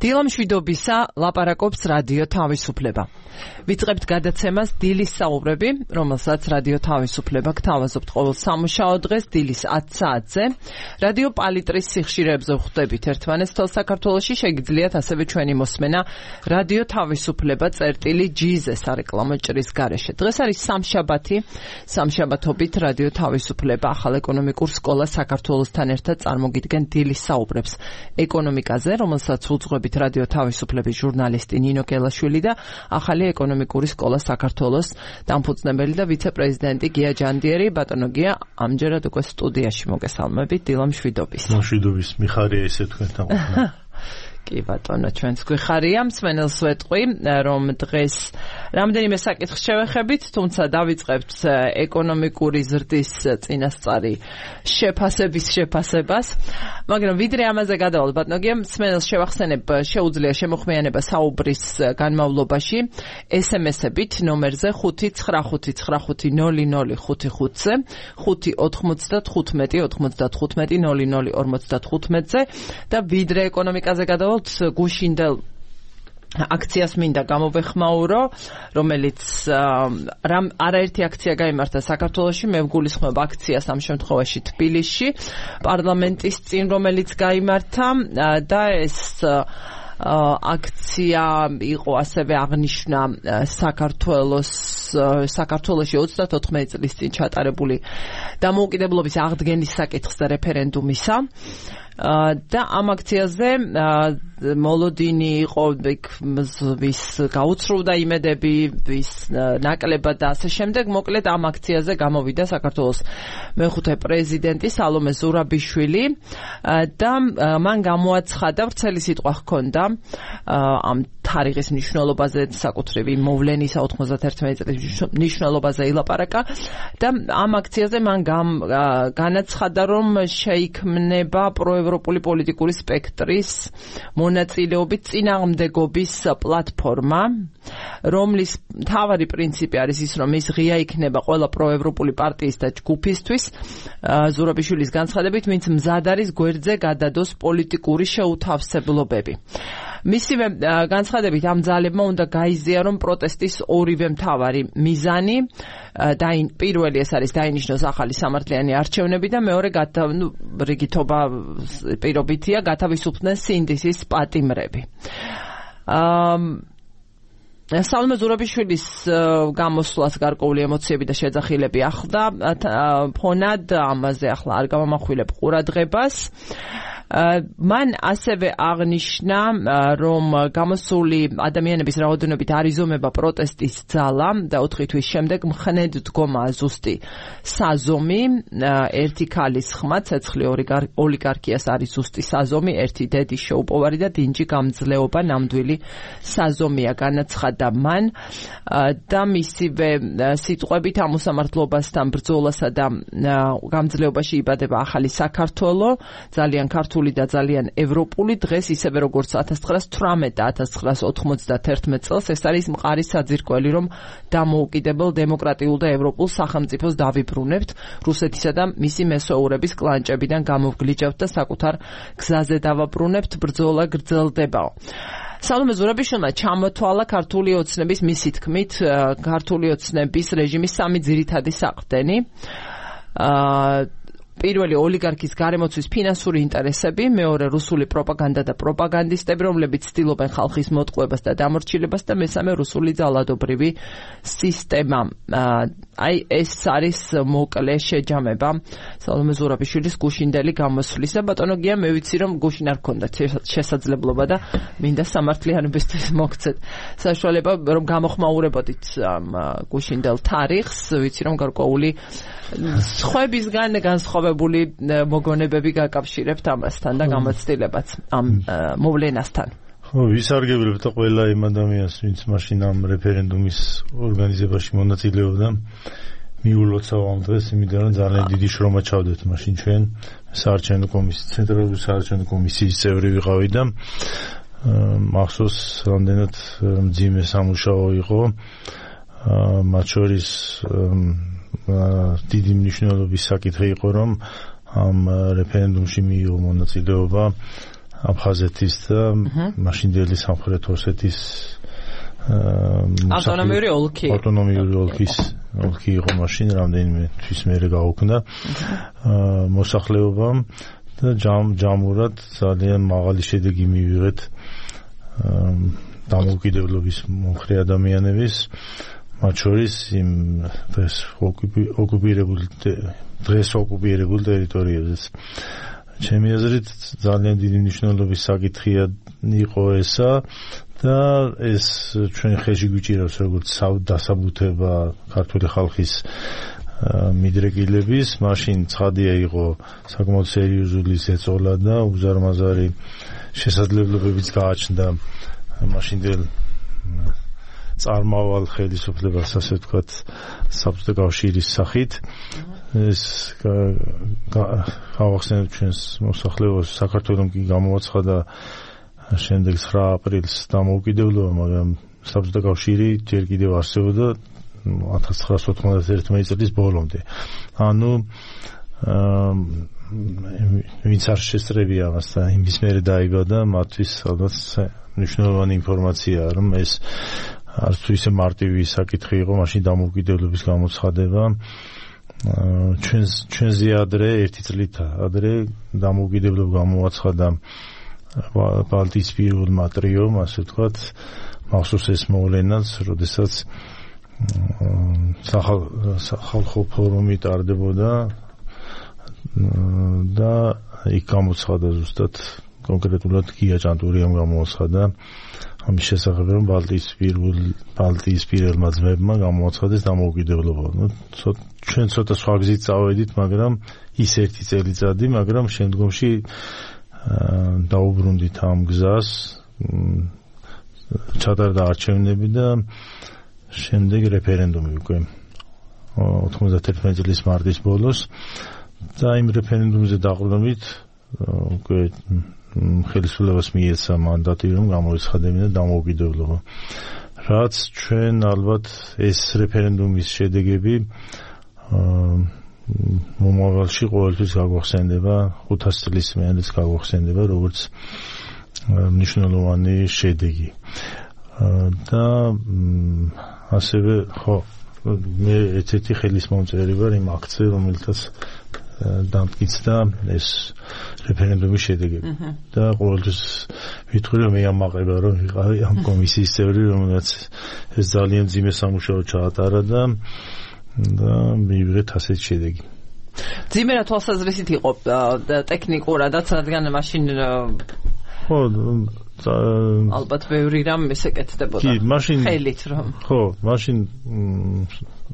დილამშვიდობისა ლაპარაკობს რადიო თავისუფლება. ვიწყებთ გადაცემას დილის საუბრები, რომელსაც რადიო თავისუფლება გთავაზობთ ყოველ სამუშაო დღეს დილის 10 საათზე. რადიო პალიტრის სიხშირეებზე ვხვდებით ერთმანეთს თელ საქართველოში, შეგიძლიათ ასევე ჩვენი მოსმენა რადიო თავისუფლება წერტილი.gz სარეკლამო ჭრის გარეშე. დღეს არის სამშაბათი, სამშაბათობით რადიო თავისუფლება ახალ ეკონომიკურ სკოლას საქართველოსთან ერთად წარმოგიდგენ დილის საუბრებს ეკონომიკაზე, რომელსაც უძღვებით რადიო თავისუფლების ჟურნალისტი ნინო კელაშვილი და ახალი ეკონომიკური სკოლა საქართველოს დამფუძნებელი და ვიცე-პრეზიდენტი გია ჯანდიერი. ბატონო გია, ამჯერად უკვე სტუდიაში მოგესალმებით, დილამშვიდობის. მშვიდობის, მიხარია ესე თქვენთან ყოფნა. კი ბატონო, ჩვენც გვიხარია, მსმენელს ვეტყვი, რომ დღეს რამდენიმე საკითხს შევეხებით, თუმცა დავიწყებთ ეკონომიკური ზრდის წინასწარი შეფასებას. მაგრამ ვიდრე ამაზე გადავალთ, ბატონო გია, მსმენელს შევახსენებ, შეუძლია შემოხმიანება საუბრის განმავლობაში SMS-ებით ნომერზე 595500555-ზე, 595-95-00-55-ზე და ვიდრე ეკონომიკაზე გადავალთ გუშინდელ აქციას მინდა გამოვეხმაურო, რომელიც არაერთი აქცია გაიმართა საქართველოში, მე ვგულისხმობ აქციას ამ შემთხვევაში თბილისში, პარლამენტის წინ, რომელიც გაიმართა და ეს აქცია იყო ასევე აღნიშნა საქართველოში 34 წლის წინ ჩატარებული დამოუკიდებლობის აღდგენის საკითხზე რეფერენდუმისა. და ამ აქციაზე მოლოდინი იყო ვის გაუცრუვდა იმედები, ვის ნაკლებად და ასე შემდეგ. მოკლედ ამ აქციაზე გამოვიდა საქართველოს მეხუთე პრეზიდენტი სალომე ზურაბიშვილი და მან გამოაცხადა, ვრცელი სიტყვა ჰქონდა ამ თარიღის მნიშვნელობაზე, საკუთრივი მოვლენისა 91 წლის მნიშვნელობაზე ილაპარაკა და ამ აქციაზე მან განაცხადა, რომ შეიქმნება პროევროპული პოლიტიკური სპექტრის მონაწილეობით წინააღმდეგობის პლატფორმა, რომლის მთავარი პრინციპი არის ის, რომ ის ღია იქნება ყველა პროევროპული პარტიის და ჯგუფისთვის. ზურაბიშვილის განცხადებით, ვინც მზად არის გვერდზე გადადოს პოლიტიკური შეუთავსებლობები. მისივე განცხადებით ამ ძალებმა უნდა გაიზიარონ პროტესტის ორივე მთავარი მიზანი. პირველი ეს არის დაინიშნოს ახალი სამართლიანი არჩევნები და მეორე რიგითობა პირობითია გათავისუფლდნენ სინდისის პატიმრები. სალომე ზურაბიშვილის გამოსვლას გარკვეული ემოციები და შეძახილები ახლდა ფონად, ამაზე ახლა არ გამამახვილებ ყურადღებას. მან ასევე აღნიშნა, რომ გამოსული ადამიანების რაოდენობით არ იზომება პროტესტის ძალა და 4 თვის შემდეგ მხნედ დგომა ზუსტი საზომი, ერთი ქალის ხმა, ცეცხლი ოლიგარქიას არის ზუსტი საზომი, ერთი დედის შეუპოვარი და დინჯი გამძლეობა ნამდვილი საზომია, განაცხადა მან და მისივე სიტყვებით ამ უსამართლობასთან ბრძოლასა და გამძლეობაში იბადება ახალი საქართველო, ძალიან ქართული და ძალიან ევროპული, დღეს ისევე როგორც 1918 და 1991 წელს. ეს არის მყარი საძირკველი, რომ დამოუკიდებელ დემოკრატიულ და ევროპულ სახელმწიფოს დავიბრუნებთ, რუსეთისა და მისი მესოურების კლანჭებიდან გამოვგლიჯავთ და საკუთარ გზაზე დავაბრუნებთ, ბრძოლა გრძელდებაო. სალომე ზურაბიშვილმა ჩამოთვალა ქართული ოცნების, მისი თქმით, ქართული ოცნების რეჟიმის სამი ძირითადი საყრდენი. პირველი ოლიგარქის გარემოცვის ფინანსური ინტერესები, მეორე რუსული პროპაგანდა და პროპაგანდისტები, რომლებიც ცდილობენ ხალხის მოტყუებას და დამორჩილებას და მესამე რუსული ძალადობრივი სისტემა. აი ეს არის მოკლე შეჯამება სალომე ზურაბიშვილის გუშინდელი გამოსვლისა. ბატონო გია, მე ვიცი, რომ გუშინ არ გქონდა შესაძლებლობა და მინდა სამართლიანობისთვის მოგცეთ საშუალება, რომ გამოხმაურებოდით ამ გუშინდელ თარიღს. ვიცი, რომ გარკვეული სხვებისგან განსხვავებული მოგონებები გაკავშირებთ ამასთან და გამოცდილებაც ამ მოვლენასთან. ვისარგებლებ ყველა იმ ადამიანს, ვინც მაშინ ამ რეფერენდუმის ორგანიზებაში მონაწილეობდა. მიულოცა ამ დღეს, იმიტომ რომ ძალიან დიდი შრომა ჩავდეთ მაშინ ჩვენ საარჩევნო კომისიის, ცენტრალური საარჩევნო კომისიის წევრი ვიყავი და მახსოვს რამდენად მძიმე სამუშაო იყო. მათ შორის დიდი მნიშვნელობის საკითხი იყო, რომ ამ რეფერენდუმში მიიღო მონაწილეობა აფხაზეთის და მაშინდელი სამხრეთ ოსეთის ავტონომიური ოლქი იყო მაშინ რამდენიმე თვის მერე გაუქმდა მოსახლეობამ და ჯამურად ძალიან მაღალი შედეგი მივიღეთ დამოუკიდებლობის მომხრე ადამიანების მათ შორის იმ დღეს ოკუპირებულ ტერიტორიებზეც ჩემი აზრით ძალიან დიდი მნიშვნელობის საკითხია იყო ესა და ეს ჩვენ ხელში გვიჭირავს როგორც დასაბუთება ქართული ხალხის მიდრეკილების მაშინ ცხადია იყო საკმაოდ სერიოზული ზეწოლა და უზარმაზარი შესაძლებლობებიც გააჩნდა მაშინდელ წარმავალ ხელისუფლებას ასე ვთქვათ საბჭოთა კავშირის სახით ეს გავახსენებთ ჩვენს მოსახლეობას საქართველოს კი გამოაცხადა შემდეგ 9 აპრილს დამოუკიდებლობა მაგრამ საბჭოთა კავშირი ჯერ კიდევ არსებობდა 1991 წლის ბოლომდე ანუ ვინც არ შესწრებია ამასთან იმის მერე დაიბადა მათთვის ალბათ მნიშვნელოვანი ინფორმაციაა რომ ეს არც თუ ისე მარტივი საკითხი იყო მაშინ დამოუკიდებლობის გამოცხადება ჩვენზე ადრე ერთი წლით ადრე დამოუკიდებლობა გამოაცხადა ბალტიისპირებულმა ტრიომ ასე ვთქვათ მახსოვს ეს მოვლენაც როდესაც სახალხო ფორუმი ტარდებოდა და იქ გამოცხადა ზუსტად კონკრეტულად გია ჭანტურიამ გამოაცხადა ამის შესახებ რომ ბალტიისპირებულმა ძმებმა გამოაცხადეს დამოუკიდებლობა. ჩვენ ცოტა სხვა გზით წავედით, მაგრამ ის ერთი წელიწადი, მაგრამ შემდგომში დაუბრუნდით ამ გზას, ჩატარდა არჩევნები და შემდეგ რეფერენდუმი უკვე 91 წლის მარტის ბოლოს და იმ რეფერენდუმზე დაყრდნობით უკვე ხელისუფლებას მიეცა მანდატი რომ გამოეცხადებინა დამოუკიდებლობა. რაც ჩვენ ალბათ ეს რეფერენდუმის შედეგები მომავალში ყოველთვის გაგვახსენდება 500 წლის მერეც გაგვახსენდება როგორც მნიშვნელოვანი შედეგი. და ასევე ხო მე ერთ-ერთი ხელისმომწერი ვარ იმ აქციაზე რომელთაც დამტკიცდა ეს რეფერენდუმის შედეგები და ყოველთვის ვიტყვი რომ მე ამაყება რომ ვიყავი ამ კომისიის წევრი რომელსაც ეს ძალიან ძიმე სამუშაო ჩაატარა და მივიღეთ ასეთი შედეგი. ძიმე რა თვალსაზრისით იყო ტექნიკურადაც რადგან მაშინ ხო ალბათ ბევრი რამ ესეკეთდებოდა. კი, მაშინ ხელით რომ. ხო, მაშინ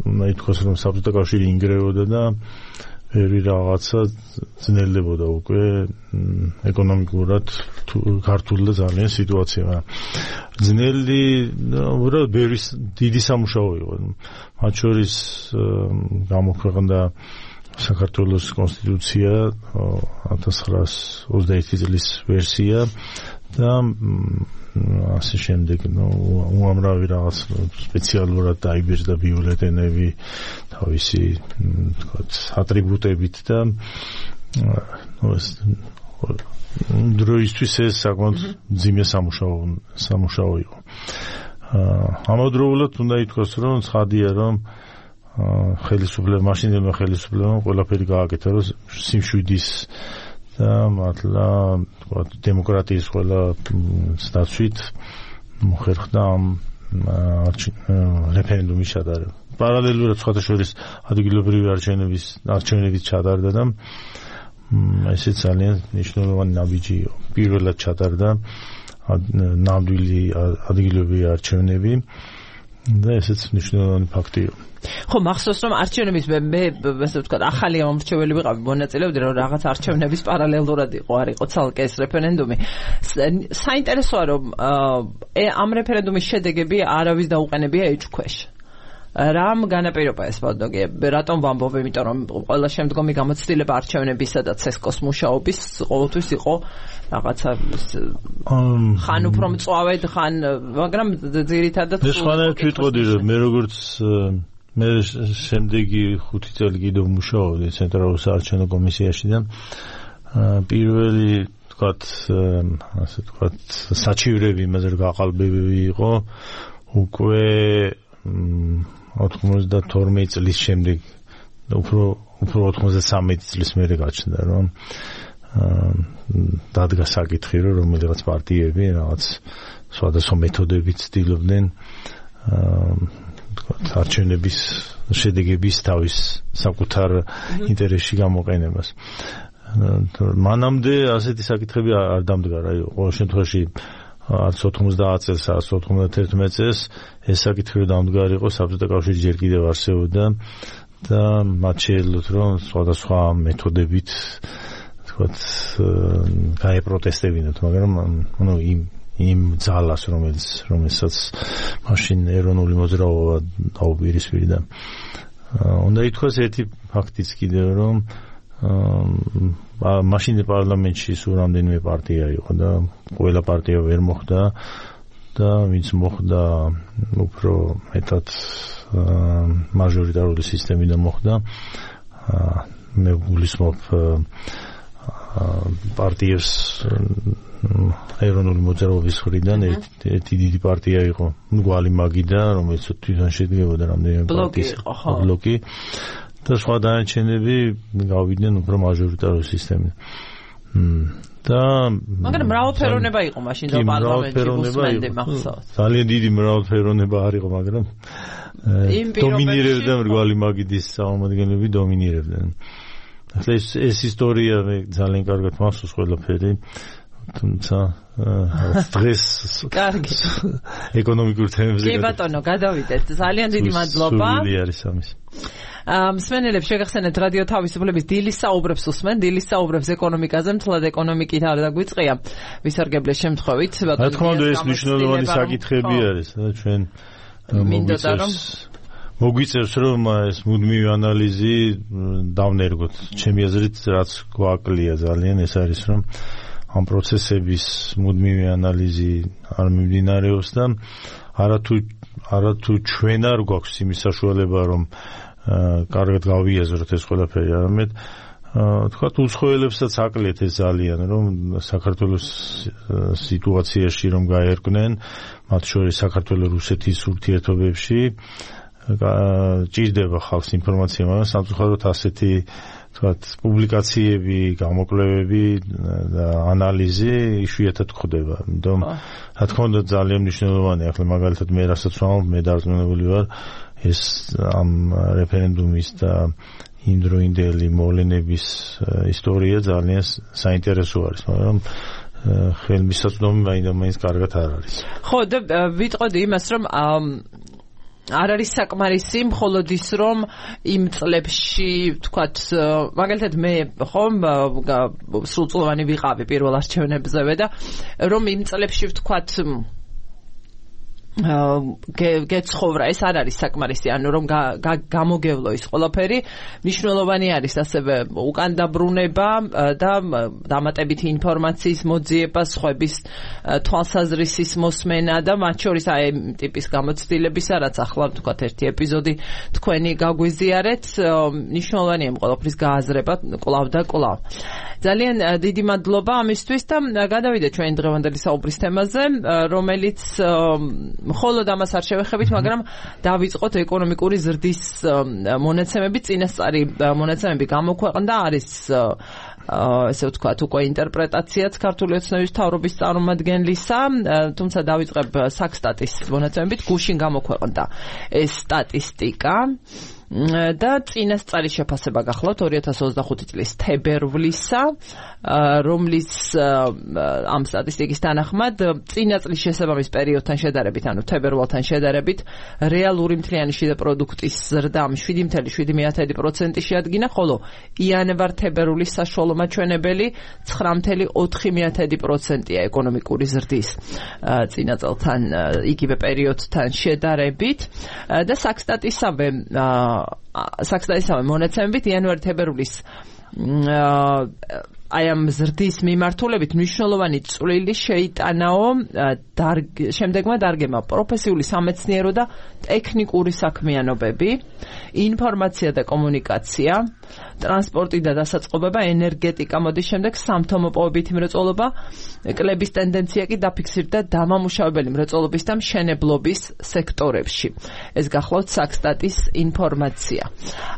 უნდა ითქვას რომ საბჭოთა კავშირი ინგრეოდა და ბევრი რაღაცა ძნელდებოდა უკვე ეკონომიკურად ქართული და ძალიან სიტუაცია. ძნელი უბრალოდ ბევრი დიდი სამუშაო იყო. მათ შორის გამოქვეყნდა საქართველოს კონსტიტუცია 1921 წლის ვერსია და ასე შემდეგ უამრავი რაღაც სპეციალურად დაიბეჭდა ბიულეტენები თავისი თქვათ ატრიბუტებით და დროისთვის ეს საკმაოდ ძიმე სამუშაო იყო. ამავდროულად უნდა ითქვას რომ ცხადია რომ მაშინდელმა ხელისუფლებამ ყველაფერი გააკეთა რომ სიმშვიდის და მართლა დემოკრატიის ყველა დაცვით მოხერხდა ამ რეფერენდუმის ჩატარება. პარალელურად სხვათა შორის ადგილობრივი არჩევნებიც ჩატარდა და ესეც ძალიან მნიშვნელოვანი ნაბიჯი იყო. პირველად ჩატარდა ნამდვილი ადგილობრივი არჩევნები და ესეც მნიშვნელოვანი ფაქტი იყო. ხო, მახსოვს რომ არჩევნების მე ასე ვთქვათ, ახალი ამორჩეველი ვიყავი, მონაწილეობდი რომ რაღაც არჩევნების პარალელურად არ იყო ცალკე ეს რეფერენდუმი. საინტერესოა რომ ამ რეფერენდუმის შედეგები არავის დაუყენებია ეჭქვეშ. რამ განაპირობა ეს ბოდოგი? რატომ ვამბობ? იმიტომ რომ ყველა შემდგომი გამოცდილება არჩევნებისა და ცესკოს მუშაობის ყოველთვის იყო რაღაცა ხან უფრო მწვავედ, ხან მაგრამ ძირითადად ეს ხანად ვიტყოდი რომ მე როგორც მე შემდეგი 5 წელი კიდევ მუშაობდი ცენტრალურ საარჩევნო კომისიაში და პირველი თქვათ, ასე თქვათ, საჩივრები იმაზე რომ გაყალბებები იყო უკვე 92 წლის შემდეგ უფრო 93 წლის მერე გაჩნდა რომ დადგა საკითხი რომ რომელიღაც პარტიები რაღაც სხვადასხვა მეთოდებით ცდილობდნენ არჩევნების შედეგების თავის საკუთარ ინტერესში გამოყენებას. მანამდე ასეთი საკითხები არ დამდგა რა ყოველ შემთხვევაში არც 90 წელს, არც 91 წელს ეს საკითხი დამდგარიყო საბჭოთა კავშირი ჯერ კიდევ არსებობდა და მათ შეეძლოთ რომ სხვადასხვა მეთოდებით თქვათ გაეპროტესტებინათ, მაგრამ ნუ იმ ძალას რომელსაც მაშინ ეროვნული მოძრაობა დაუპირისპირდა. უნდა ითქვას ერთი ფაქტიც კიდევ რომ მაშინ პარლამენტში სულ რამდენიმე პარტია იყო და ყველა პარტია ვერ მოხვდა და ვინც მოხვდა უფრო მეტად მაჟორიტარული სისტემიდან მოხვდა. მე გულისხმობ პარტიებს ეროვნული მოძრაობის მხრიდან ერთი დიდი პარტია იყო მგვალი მაგიდა, რომელიც თვითონ შედგებოდა რამდენიმე პარტიის ბლოკი და სხვა დანარჩენები გავიდნენ უფრო მაჟორიტარული სისტემიდან. და მაგრამ მრავალფეროვნება იყო მაშინ და პარლამენტში უსმენდი მახსოვს. ძალიან დიდი მრავალფეროვნება არ იყო, მაგრამ დომინირებდა მრგვალი მაგიდის წარმომადგენლები დომინირებდნენ. ახლა ეს ისტორია მე ძალიან კარგად მახსოვს ყველაფერი, თუმცა დღეს კარგი ეკონომიკურ თემებზე კი ბატონო გადავიდეთ. ძალიან დიდი მადლობა. სული არის ამის. მსმენელებს შეგახსენებთ რადიო თავისუფლების დილის საუბრებს უსმენ, დილის საუბრებს ეკონომიკაზე, მთლად ეკონომიკით არ დაგვიწყია ვისარგებლეს შემთხვევით. რა თქმა უნდა ეს მნიშვნელოვანი საკითხები არის და ჩვენ მოგვიწევს რომ ეს მუდმივი ანალიზი დავნერგოთ. ჩემი აზრით რაც გვაკლია ძალიან ეს არის რომ ამ პროცესების მუდმივი ანალიზი არ მიმდინარეობს და არათუ ჩვენ არ გვაქვს იმის საშუალება რომ კარგად გავიაზროთ ეს ყველაფერი, არამედ თქვათ უცხოელებსაც აკლეთ ეს ძალიან რომ საქართველოს სიტუაციაში რომ გაერკვნენ, მათ შორის საქართველოს-რუსეთის ურთიერთობებში ჭირდება ხალხს ინფორმაცია, მაგრამ სამწუხაროდ ასეთი თქვათ პუბლიკაციები, გამოკვლევები და ანალიზი იშვიათად ხდება. იმიტომ რა თქმა უნდა ძალიან მნიშვნელოვანია. ახლა მაგალითად მე რასაც ვამბობ, მე დარწმუნებული ვარ ეს ამ რეფერენდუმის და იმდროინდელი მოვლენების ისტორია ძალიან საინტერესო არის, მაგრამ ხელმისაწვდომი მაინც კარგად არ არის. ხო, და ვიტყოდი იმას, რომ არ არის საკმარისი მხოლოდ ის რომ იმ წლებში თქვათ მაგალითად მე ხომ სრულწლოვანი ვიყავი პირველ არჩევნებზევე და რომ იმ წლებში ვთქვათ გეცხოვრა ეს არ არის საკმარისი, ანუ რომ გამოგევლო ის ყველაფერი. მნიშვნელოვანი არის ასევე უკან დაბრუნება და დამატებითი ინფორმაციის მოძიება, სხვების თვალსაზრისის მოსმენა და მათ შორის აი ამ ტიპის გამოცდილებისა, რაც ახლა ვთქვათ ერთი ეპიზოდი თქვენი გაგვიზიარეთ, მნიშვნელოვანია იმ ყველაფრის გააზრება კვლავ და კვლავ. ძალიან დიდი მადლობა ამისთვის და გადავიდეთ ჩვენი დღევანდელი საუბრის თემაზე, რომელიც მხოლოდ ამას არ შევეხებით, მაგრამ დავიწყოთ ეკონომიკური ზრდის მონაცემები. წინასწარი მონაცემები გამოქვეყნდა, არის ესე ვთქვათ უკვე ინტერპრეტაციაც ქართული ოცნების მთავრობის წარმომადგენლისა, თუმცა დავიწყებ საქსტატის მონაცემებით. გუშინ გამოქვეყნდა ეს სტატისტიკა და წინასწარი შეფასება გახლავთ 2025 წლის თებერვლისა, რომლის ამ სტატისტიკის თანახმად წინა წლის შესაბამის პერიოდთან შედარებით, ანუ თებერვალთან შედარებით, რეალური მთლიანი შიდა პროდუქტის ზრდა 7.7% შეადგინა, ხოლო იანვარ-თებერვლის საშუალო მაჩვენებელი 9.4%-ია ეკონომიკური ზრდის წინა წელთან იგივე პერიოდთან შედარებით და საქსტატისავე მონაცემებით იანვარ-თებერვლის აი ამ ზრდის მიმართულებით მნიშვნელოვანი წვლილი შეიტანაო შემდეგმა დარგებმა პროფესიული სამეცნიერო და ტექნიკური საქმიანობები, ინფორმაცია და კომუნიკაცია, ტრანსპორტი და დასაწყობება, ენერგეტიკა, მოდის შემდეგ სამთო-მოპოვებითი მრეწველობა, კლების ტენდენცია კი დაფიქსირდა დამამუშავებელი მრეწველობის და მშენებლობის სექტორებში. ეს გახლავთ საქსტატის ინფორმაცია.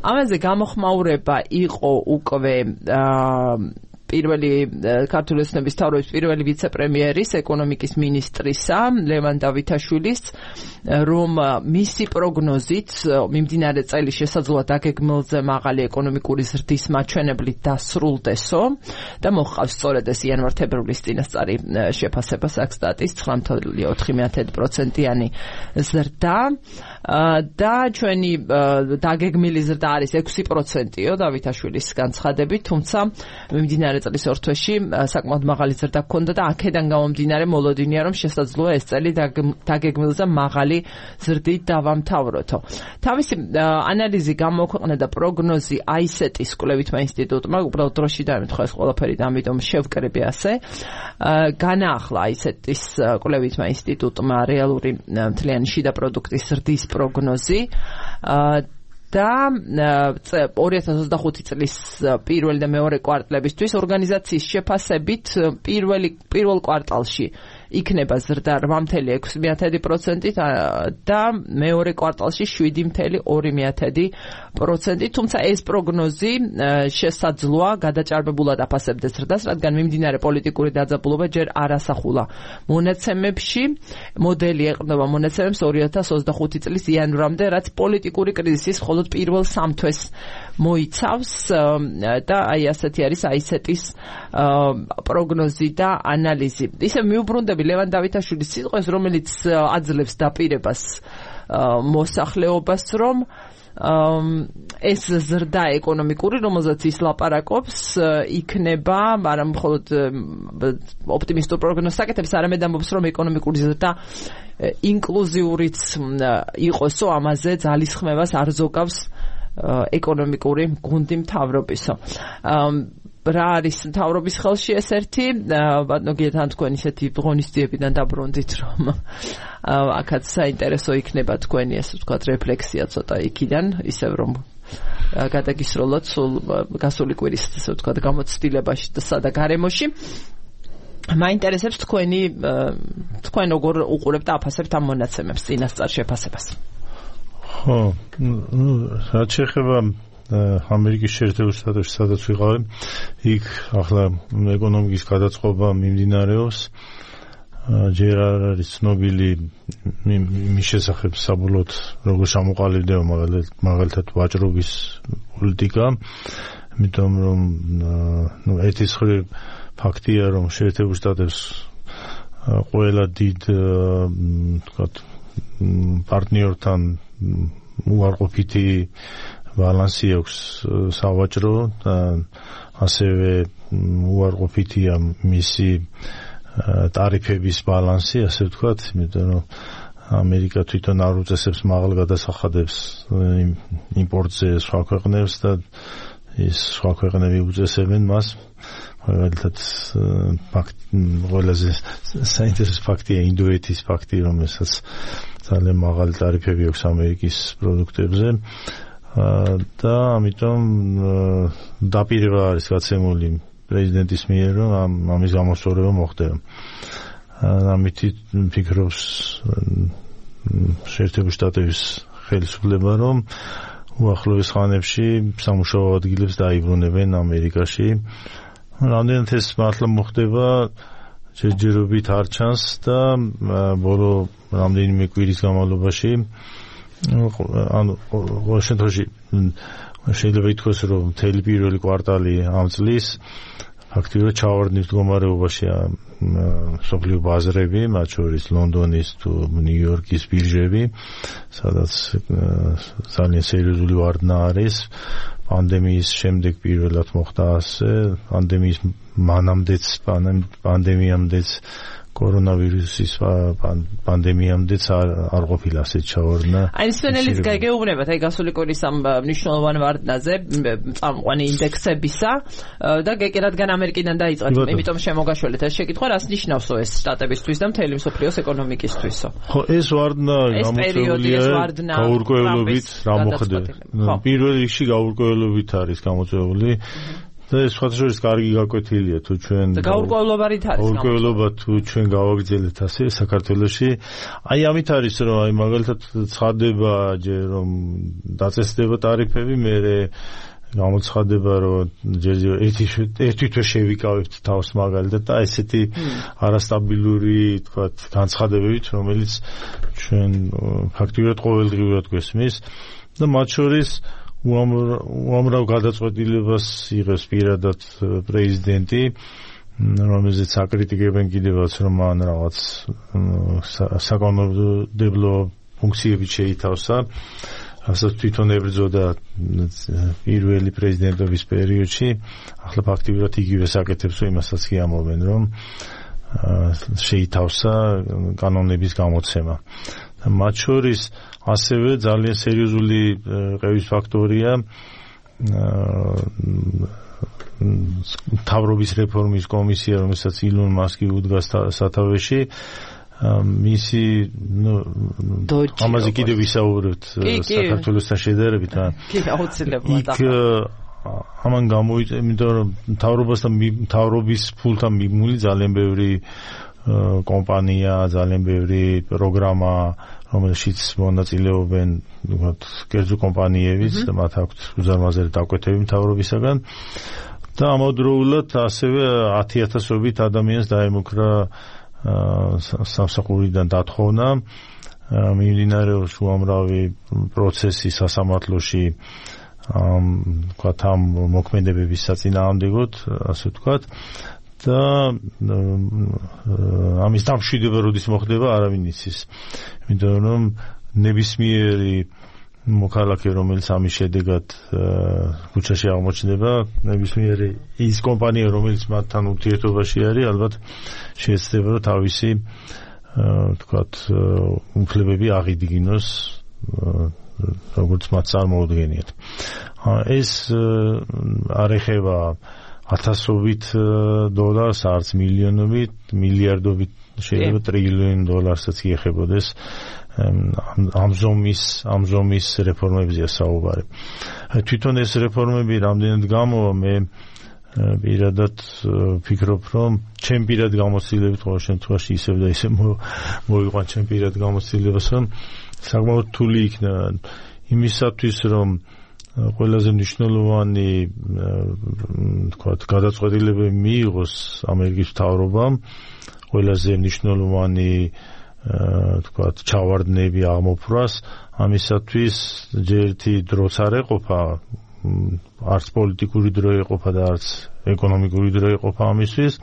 ამაზე გამოხმაურება იყო უკვე პირველი ქართული ოცნების მთავრობის პირველი ვიცე-პრემიერის ეკონომიკის მინისტრისა ლევან დავითაშვილის, რომ მისი პროგნოზით მიმდინარე წელი შესაძლოა დაგეგმილზე მაღალი ეკონომიკური ზრდის მაჩვენებლით დასრულდესო და მოჰყავს სწორედ ეს იანვარ-თებერვლის წინასწარი შეფასება საქსტატის 9.4%-იანი ზრდა და ჩვენი დაგეგმილი ზრდა არის 6%-ო დავითაშვილის განცხადებით, თუმცა მიმდინარე წლის ორ თვეში საკმაოდ მაღალი ზრდა ჰქონდა და აქედან გამომდინარე მოლოდინია, რომ შესაძლოა ეს წელი დაგეგმილზე მაღალი ზრდით დავამთავროთო. თავისი ანალიზი გამოქვეყნა და პროგნოზი ICET-ის კვლევითმა ინსტიტუტმა, უბრალოდ დროში დაემთხვა ეს ყველაფერი და ამიტომ შევკრები ასე. განაახლა ICET-ის კვლევითმა ინსტიტუტმა რეალური მთლიანი შიდა პროდუქტის ზრდის პროგნოზი და 2025 წლის პირველი და მეორე კვარტლებისთვის ორგანიზაციის შეფასებით პირველ კვარტალში იქნება ზრდა 8.6% და მეორე კვარტალში 7.2%, თუმცა ეს პროგნოზი შესაძლოა გადაჭარბებულად აფასებდეს ზრდას, რადგან მიმდინარე პოლიტიკური დაძაბულობა ჯერ არ ასახულა მონაცემებში. მოდელი ეყრდნობა მონაცემებს 2025 წლის იანვრამდე, რაც პოლიტიკური კრიზისის მხოლოდ პირველ 3 თვეს მოიცავს და აი ასეთი არის ICET-ის პროგნოზი და ანალიზი. ისე მიუბრუნდები ლევან დავითაშვილის სიტყვებს, რომელიც აძლევს დაპირებას მოსახლეობას, რომ ეს ზრდა ეკონომიკური, რომელზეც ის ლაპარაკობს, იქნება, არა მხოლოდ ოპტიმისტურ პროგნოზს აკეთებს, არამედ ამბობს, რომ ეკონომიკური ზრდა ინკლუზიურიც იყოსო, ამაზე ძალისხმევას არ ზოგავს ეკონომიკური გუნდი მთავრობისო. რა არის მთავრობის ხელში ეს ერთი? ბატონო გიეთან თქვენ ისეთი ღონისძიებიდან დაბრუნდით, რომ აქაც საინტერესო იქნება თქვენი ასე ვთქვათ რეფლექსია ცოტა იქიდან, ისევ რომ გადაგისროლოთ სულ გასული კვირის ასე ვთქვათ გამოცდილებაში და გარემოში. მაინტერესებს თქვენ როგორ უყურებთ და აფასებთ ამ მონაცემებს წინასწარ შეფასებას? ხო, რაც შეეხება ამერიკის შეერთებულ შტატებში, სადაც ვიყავი, იქ ახლა ეკონომიკის გადაწყობა მიმდინარეობს. ჯერ არ არის ცნობილი მის შესახებ საბოლოოდ როგორ ჩამოყალიბდება მაგალითად ვაჭრობის პოლიტიკა, იმიტომ რომ ერთი მხრივ ფაქტია, რომ შეერთებულ შტატებს ყველა დიდ ვთქვათ პარტნიორთან უარყოფითი ბალანსი აქვს სავაჭრო და ასევე უარყოფითია მისი ტარიფების ბალანსი, ასე ვთქვათ, იმიტომ რომ ამერიკა თვითონ არ უწესებს მაღალ გადასახადებს იმპორტზე სხვა ქვეყნებს და ის სხვა ქვეყნები უწესებენ მას. მაგალითად ყველაზე საინტერესო ფაქტია ინდოეთის ფაქტი, რომელსაც ძალიან მაღალი ტარიფები აქვს ამერიკის პროდუქტებზე. და ამიტომ დაპირება არის გაცემული პრეზიდენტის მიერ, რომ ამის გამოსწორება მოხდება. ამით ფიქრობს შეერთებული შტატების ხელისუფლება, რომ უახლოეს ხანებში სამუშაო ადგილებს დაიბრუნებენ ამერიკაში. რამდენად ეს მართლა მოხდება, ჯერჯერობით არ ჩანს და ბოლო რამდენიმე კვირის განმავლობაში ანუ ყოველ შემთხვევაში შეიძლება ითქვას, რომ მთელი პირველი კვარტალი ამ წლის ფაქტიურად ჩავარდნის მდგომარეობაშია მსოფლიო ბაზრები, მათ შორის ლონდონის თუ ნიუ-იორკის ბირჟები, სადაც ძალიან სერიოზული ვარდნა არის. პანდემიის შემდეგ პირველად მოხდა ასე, პანდემიის მანამდეც, პანდემიამდეც კორონავირუსის პანდემიამდეც არ ყოფილა ასეთ ჩავარდნა. აი სვენელიც გეგეუბნებათ აი გასული კვირის ამ მნიშვნელოვან ვარდნაზე წამყვანი ინდექსებისა და რადგან ამერიკიდან დაიწყეთ, იმიტომ შემოგაშველეთ ეს შეკითხვა, რას ნიშნავსო ეს შტატებისთვის და მთელი მსოფლიოს ეკონომიკისთვისო? ხო, ეს ვარდნა გამოწვეულია გაურკვევლობით რა მოხდება. პირველ რიგში გაურკვევლობით არის გამოწვეული. და ეს სხვადასხვა კარგი გაკვეთილია თუ ჩვენ გაურკვევლობარით არის გაურკვევლობა თუ ჩვენ გავაგრძელებთ ასე საქართველოში აი ამით არის რომ აი მაგალითად ცხადდება ჯერ რომ დაწესდება ტარიფები მე გამოცხადება რომ ჯერ ერთი თვე შევიკავებთ თავს მაგალითად და ესეთი არასტაბილური თქვათ განცხადებებით რომელიც ჩვენ ფაქტიურად ყოველდღიურად გვესმის და მათ შორის უამრავ გადაწყვეტილებას იღებს პირადად პრეზიდენტი, რომელზეც აკრიტიკებენ კიდევაც, რომ მან რაღაც საკანონმდებლო ფუნქციები შეითავსა, რასაც თვითონ ებრძოდა პირველი პრეზიდენტობის პერიოდში, ახლა ფაქტიურად იგივე საკეთებს, იმასაც კი ამბობენ, რომ შეითავსა კანონების გამოცემა. მათ შორის ასევე ძალიან სერიოზული ყევის ფაქტორია მთავრობის რეფორმის კომისია, რომელსაც ილონ მასკი უდგას სათავეში. მისი ამაზე კიდევ ვისაუბრებთ საქართველოსთან შედარებით. კი, აუცილებლად. ამან გამოიწვია, იმიტომ რომ მთავრობის ფულთან მიმული ძალიან ბევრი კომპანია, ძალიან ბევრი პროგრამა, რომელშიც მონაწილეობენ, ვთქვათ, კერძო კომპანიებიც, მათ აქვთ უზარმაზარი დაკვეთები მთავრობისაგან და ამავდროულად ასევე 10,000-ობით ადამიანს დაემუქრა სამსახურიდან დათხოვნა. მიმდინარეობს უამრავი პროცესი სასამართლოში ვთქვათ ამ მოქმედებების საწინააღმდეგოდ, ასე ვთქვათ. და ამის დამშვიდება როდის მოხდება არავინ იცის. იმიტომ რომ ნებისმიერი მოქალაქე რომელიც ამის შედეგად ქუჩაში აღმოჩნდება, ნებისმიერი ის კომპანია რომელიც მათთან ურთიერთობაში არის, ალბათ შეეცდება რომ თავისი ვთქვათ უფლებები აღიდგინოს როგორც მათ წარმოუდგენიათ. ეს არ ეხება 1000-ობით დოლარს, არც მილიონობით, მილიარდობით, შეიძლება ტრილიონი დოლარსაც იეხებოდეს. ამ ზომის რეფორმებზეა საუბარი. თვითონ ეს რეფორმები რამდენად გამოვა, მე პირადად ვფიქრობ, რომ ჩემ პირად გამოცდილებით ყოველ შემთხვევაში ისევ და ისევ მოვიყვან ჩემ პირად გამოცდილებას, რომ საკმაოდ რთული იქნება იმისათვის, რომ ყველაზე მნიშვნელოვანი თქვათ გადაწყვეტილებები მიიღოს ამერიკის მთავრობამ, ყველაზე მნიშვნელოვანი თქვათ ჩავარდნები აღმოფრას, ამისათვის ჯერ ერთი დროც არ ეყოფა, არც პოლიტიკური დრო ეყოფა და არც ეკონომიკური დრო ეყოფა ამისთვის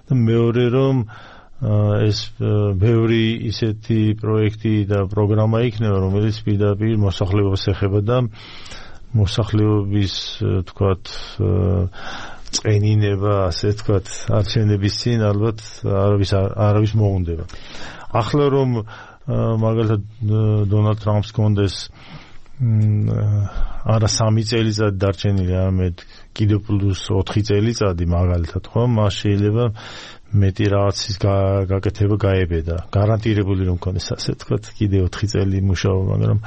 და მეორე რომ ეს ბევრი ისეთი პროექტი და პროგრამა იქნება, რომელიც პირდაპირ მოსახლეობას ეხება და მოსახლეობის თქვათ წენინება, ასე ვთქვათ, არჩევნების წინ ალბათ არავის მოუნდება. ახლა რომ მაგალითად დონალდ ტრამპს კონდეს არა 3 წელიწადი დარჩენილი, არამედ კიდევ პლუს 4 წელიწადი მაგალითად, ხო? მას შეიძლება მეტი რაღაცის გაკეთება გაებედა. გარანტირებული რომ კონდეს, ასე ვთქვათ, კიდევ 4 წელი მუშაობა, მაგრამ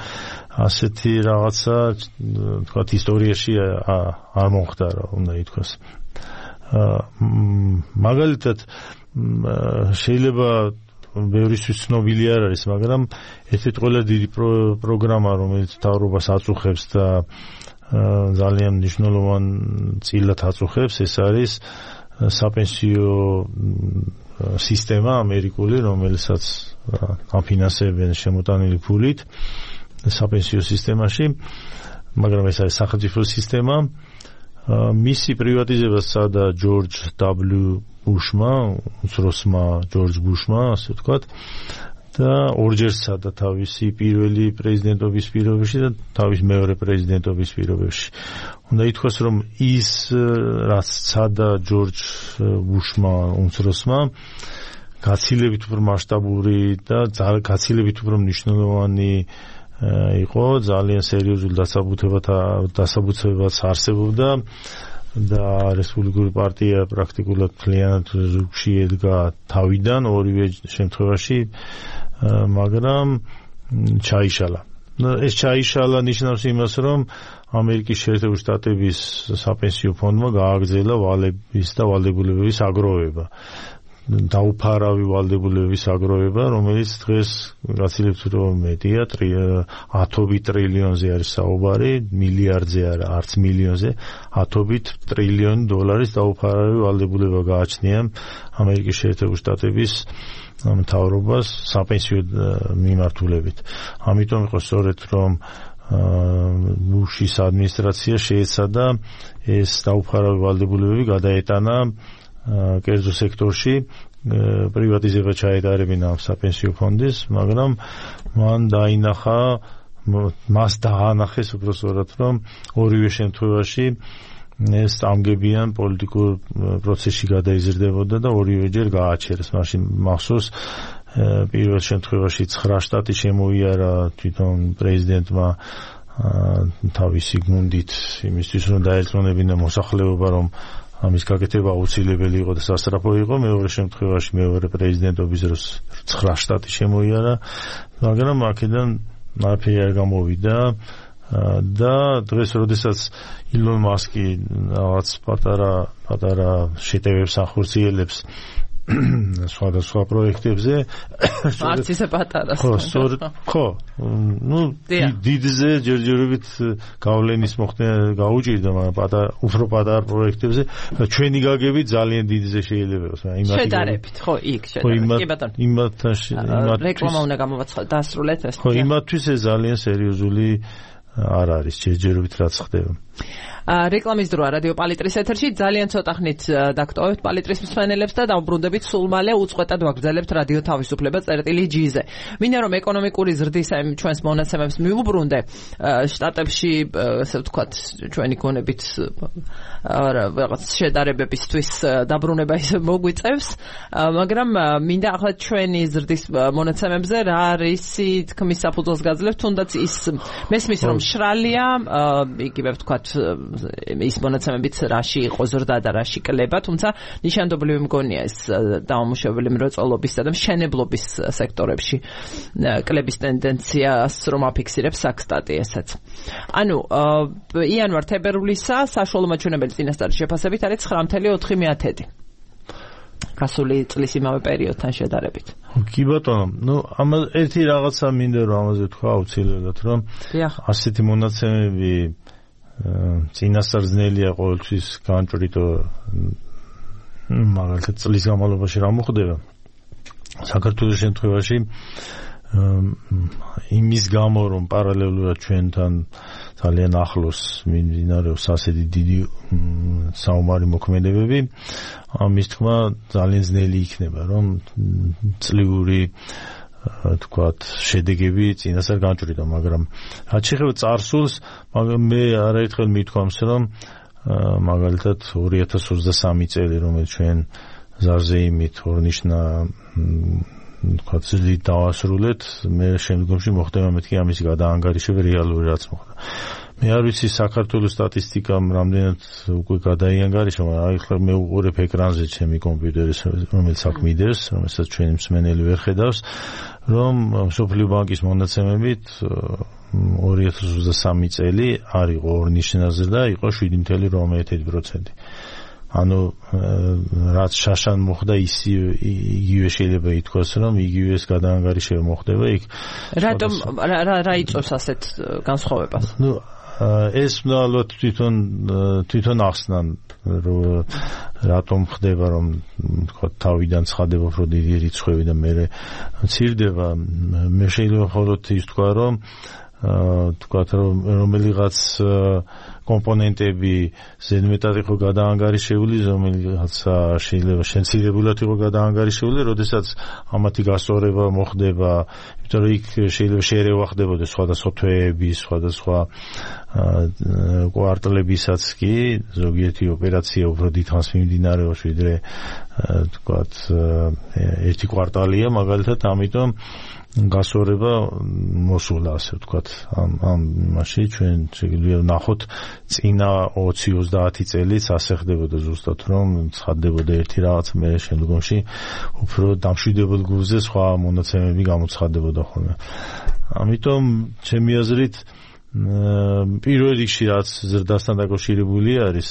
ასეთი რაღაცა ვთქვათ ისტორიაში არ მომხდარა, უნდა ითქვას. მაგალითად შეიძლება ბევრისთვის ცნობილი არ არის, მაგრამ ერთ-ერთი ყველაზე დიდი პროგრამა, რომელიც მთავრობას აწუხებს და ძალიან მნიშვნელოვან წილად აწუხებს, ეს არის საპენსიო სისტემა ამერიკული, რომელსაც აფინანსებენ შემოტანილი ფულით საპენსიო სისტემაში, მაგრამ ეს არის სახელმწიფო სისტემა. მისი პრივატიზება სცადა ჯორჯ W. ბუშმა, უმცროსმა ჯორჯ ბუშმა, ასე ვთქვათ, და ორჯერ სცადა თავისი პირველი პრეზიდენტობის პირობებში და თავის მეორე პრეზიდენტობის პირობებში. უნდა ითქვას, რომ ის რაც სცადა ჯორჯ ბუშმა უმცროსმა, გაცილებით უფრო მასშტაბური და გაცილებით უფრო მნიშვნელოვანი იყო, ძალიან სერიოზულ დასაბუთებებაც არსებობდა და რესპუბლიკური პარტია პრაქტიკულად მთლიანად ზურგში ედგა თავიდან ორივე შემთხვევაში, მაგრამ ჩაიშალა. ეს ჩაიშალა ნიშნავს იმას, რომ ამერიკის შეერთებული შტატების საპენსიო ფონდმა გააგრძელა ვალების და ვალდებულებების აგროვება. დაუფარავი ვალდებულებების აგროვება, რომელიც დღეს გაცილებით უფრო მეტია, 10 ტრილიონზე არის საუბარი, მილიარდზე არა, არც მილიონზე, 10 ტრილიონი დოლარის დაუფარავი ვალდებულება გააჩნია ამერიკის შეერთებული შტატების მთავრობას საპენსიო მიმართულებით. ამიტომ იყო სწორედ, რომ ბუშის ადმინისტრაცია შეეცადა ეს დაუფარავი ვალდებულებები გადაეტანა კერძო სექტორში, პრივატიზება ჩაეტარებინა ამ საპენსიო ფონდის, მაგრამ მას დაანახეს უბრალოდ, რომ ორივე შემთხვევაში ეს წამგებიან პოლიტიკურ პროცესში გადაიზრდებოდა და ორივეჯერ გააჩერეს. მაშინ მახსოვს პირველ შემთხვევაში 9 შტატი შემოიარა თვითონ პრეზიდენტმა თავისი გუნდით იმისთვის, რომ დაერწმუნებინა მოსახლეობა, რომ ამის გაკეთება აუცილებელი იყო და სასწრაფო იყო. მეორე შემთხვევაში მეორე პრეზიდენტობის დროს 9 შტატი შემოიარა, მაგრამ აქედან არაფერი არ გამოვიდა და დღეს როდესაც ილონ მასკი რაღაც პატარა შეტევებს ახორციელებს სხვადასხვა პროექტებზე, არც ისე პატარა. ხო, დიდზე ჯერჯერობით გავლენის მოხდენა გაუჭირდა, მაგრამ უფრო პატარა პროექტებზე ჩვენი გაგებით ძალიან დიდზე შეიძლება იყოს. შედარებით, ხო, იქ შედარებით. კი ბატონო. იმათთან რეკლამა უნდა გამოვაცხადოთ, დასრულეთ ეს. ხო, იმათთვის ეს ძალიან სერიოზული არ არის ჯერჯერობით რაც ხდება. რეკლამის დროა რადიო პალიტრის ეთერში, ძალიან ცოტა ხნით დაგტოვებთ პალიტრის მსმენელებს და დავბრუნდებით სულ მალე უწყვეტად ვაგრძელებთ რადიო თავისუფლება წერტილი G-ზე. მინდა რომ ეკონომიკური ზრდის ჩვენს მონაცემებს მივუბრუნდე, შტატებში, ასე ვთქვათ, ჩვენი გონებით რაღაც შედარებებისთვის დაბრუნება ისე მოგვიწევს, მაგრამ მინდა ახლა ჩვენი ზრდის მონაცემებზე რა არის თქმის საფუძველს გაძლევთ, თუნდაც ის მესმის რომ შრალია, იგივე ვთქვათ ის მონაცემებით რაში იყო ზრდა და რაში კლება, თუმცა ნიშანდობლივი მგონია ეს დაუმუშავებელი მრეწველობის და მშენებლობის სექტორებში კლების ტენდენციას რომ აფიქსირებს საქსტატი ესეც. ანუ იანვარ-თებერვლისა საშუალო მაჩვენებელი წინასწარი შეფასებით არის 9.4. გასული წლის იმავე პერიოდთან შედარებით. კი ბატონო, ერთი რაღაცა მინდა რომ ამაზე თქვა აუცილებლად, რომ ასეთი მონაცემები წინასწარ ძნელია ყოველთვის განჭრიტო, მაგალითად წლის განმავლობაში რა მოხდება. საქართველოს შემთხვევაში იმის გამო რომ პარალელურად ჩვენთან ძალიან ახლოს მიმდინარეობს ასეთი დიდი საომარი მოქმედებები, ამის თქმა ძალიან ძნელი იქნება, რომ წლიური თქვათ შედეგები წინასწარ განჭრიტო, მაგრამ რაც შეეხება წარსულს, მე არაერთხელ მithქვამს, რომ მაგალითად 2023 წელი, რომელიც ჩვენ ზარზეიმით ორნიშნა თქვათ ძლით დავასრულეთ, მე შემდგომში მოხდება მეთქი ამის გადაანგარიშება რეალური რაც მოხდა. მე არ ვიცი საქართველოს სტატისტიკამ რამდენად უკვე გადაიანგარიშა, მაგრამ ახლა მე უყურებ ეკრანზე ჩემი კომპიუტერის, რომელიც აქ მიდევს, რომელსაც ჩვენი მსმენელი ვერ ხედავს, რომ მსოფლიო ბანკის მონაცემებით 2023 წელი არ იყო ორნიშნაზე და იყო 7.1%. ანუ რაც შაშან მოხდა იგივე შეიძლება ითქვას, რომ იგივე ეს გადაანგარიშება მოხდება იქ. რატომ რა იწვევს ასეთ განსხვავებას? ეს ალბათ თვითონ ახსნან, რომ რატომ ხდება, რომ თქვა თავიდან ცხადება უფრო დიდი რიცხვები და მე მცირდება. მე შეიძლება მხოლოდ ის თქვა, რომ თქვათ რომ რომელიღაც კომპონენტები ზედმეტად იყო გადაანგარიშებული, რომელიღაც შეიძლება შემცირებულად იყო გადაანგარიშებული, როდესაც ამათი გასწორება მოხდება, იმიტომ რომ იქ შეიძლება შერევა ხდებოდა სხვადასხვა თვეები, სხვადასხვა კვარტალებისაც კი, ზოგიერთი ოპერაცია უფრო დიდხანს მიმდინარეობს, ვიდრე თქვათ ერთი კვარტალია, მაგალითად, ამიტომ გასწორება მოსულა, ასე ვთქვათ, ამ მაშინ ჩვენ შეგვიძლია ვნახოთ წინა 20-30 წელიც ასე ხდებოდა ზუსტად, რომ ცხადდებოდა ერთი რაღაც, მე შემდგომში უფრო დამშვიდებელ გულზე სხვა მონაცემები გამოცხადდებოდა ხოლმე. ამიტომ ჩემი აზრით პირველ რიგში რაც ზრდასთან დაკავშირებული არის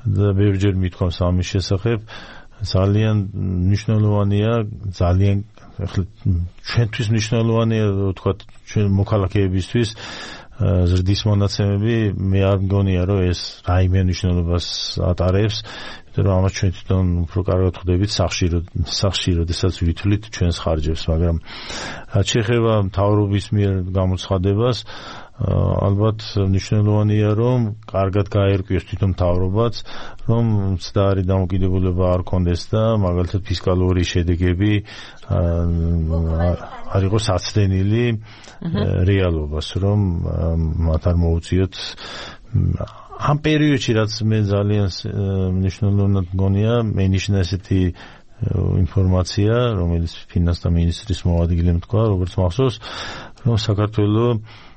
და ბევრჯერ მithქვამს ამის შესახებ, ძალიან მნიშვნელოვანია, ძალიან ახლა ჩვენთვის მნიშვნელოვანია, ვთქვათ, ჩვენ მოქალაქეებისთვის ზრდის მონაცემები, მე არ მგონია, რომ ეს რაიმე მნიშვნელობას ატარებს, იმიტომ რომ ამას ჩვენ თვითონ უფრო კარგად ხვდებით სახში, როდესაც ვითვლით ჩვენს ხარჯებს, მაგრამ რაც შეეხება მთავრობის მიერ გამოცხადებას, ალბათ მნიშვნელოვანია, რომ კარგად გაერკვიოს თვითონ მთავრობაც, რომ მცდარი დამოკიდებულება არ კონდეს და მაგალითად ფისკალური შედეგები არ იყოს აცდენილი რეალობას, რომ მათ არ მოუწიოთ ამ პერიოდში, რაც მე ძალიან მნიშვნელოვნად მგონია, მენიშნა ესეთი ინფორმაცია, რომელიც ფინანსთა მინისტრის მოადგილემ თქვა, როგორც მახსოვს, რომ საქართველოს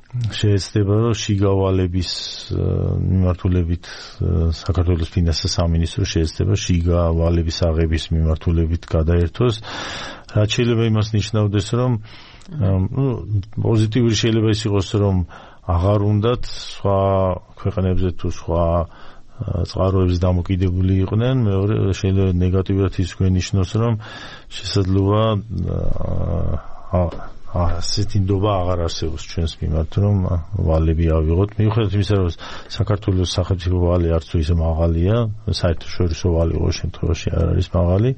შეეცდება, რომ შიგავალების მიმართულებით საქართველოს ფინანსთა სამინისტრო შეეცდება შიგავალების აღების მიმართულებით გადაერთოს, რაც შეიძლება იმას ნიშნავდეს, რომ პოზიტიური შეიძლება ის იყოს, რომ აღარ უნდათ სხვა ქვეყნებზე თუ სხვა წყაროების დამოკიდებული იყვნენ, მეორე შეიძლება ნეგატიურად ის გვენიშნოს, რომ შესაძლოა ასეთი ნდობა აღარ არსებობს ჩვენს მიმართ, რომ ვალები ავიღოთ. მიუხედავად იმისა, რომ საქართველოს სახელმწიფო ვალი არც თუ ისე მაღალია, საერთაშორისო ვალი ყოველ შემთხვევაში არ არის მაღალი,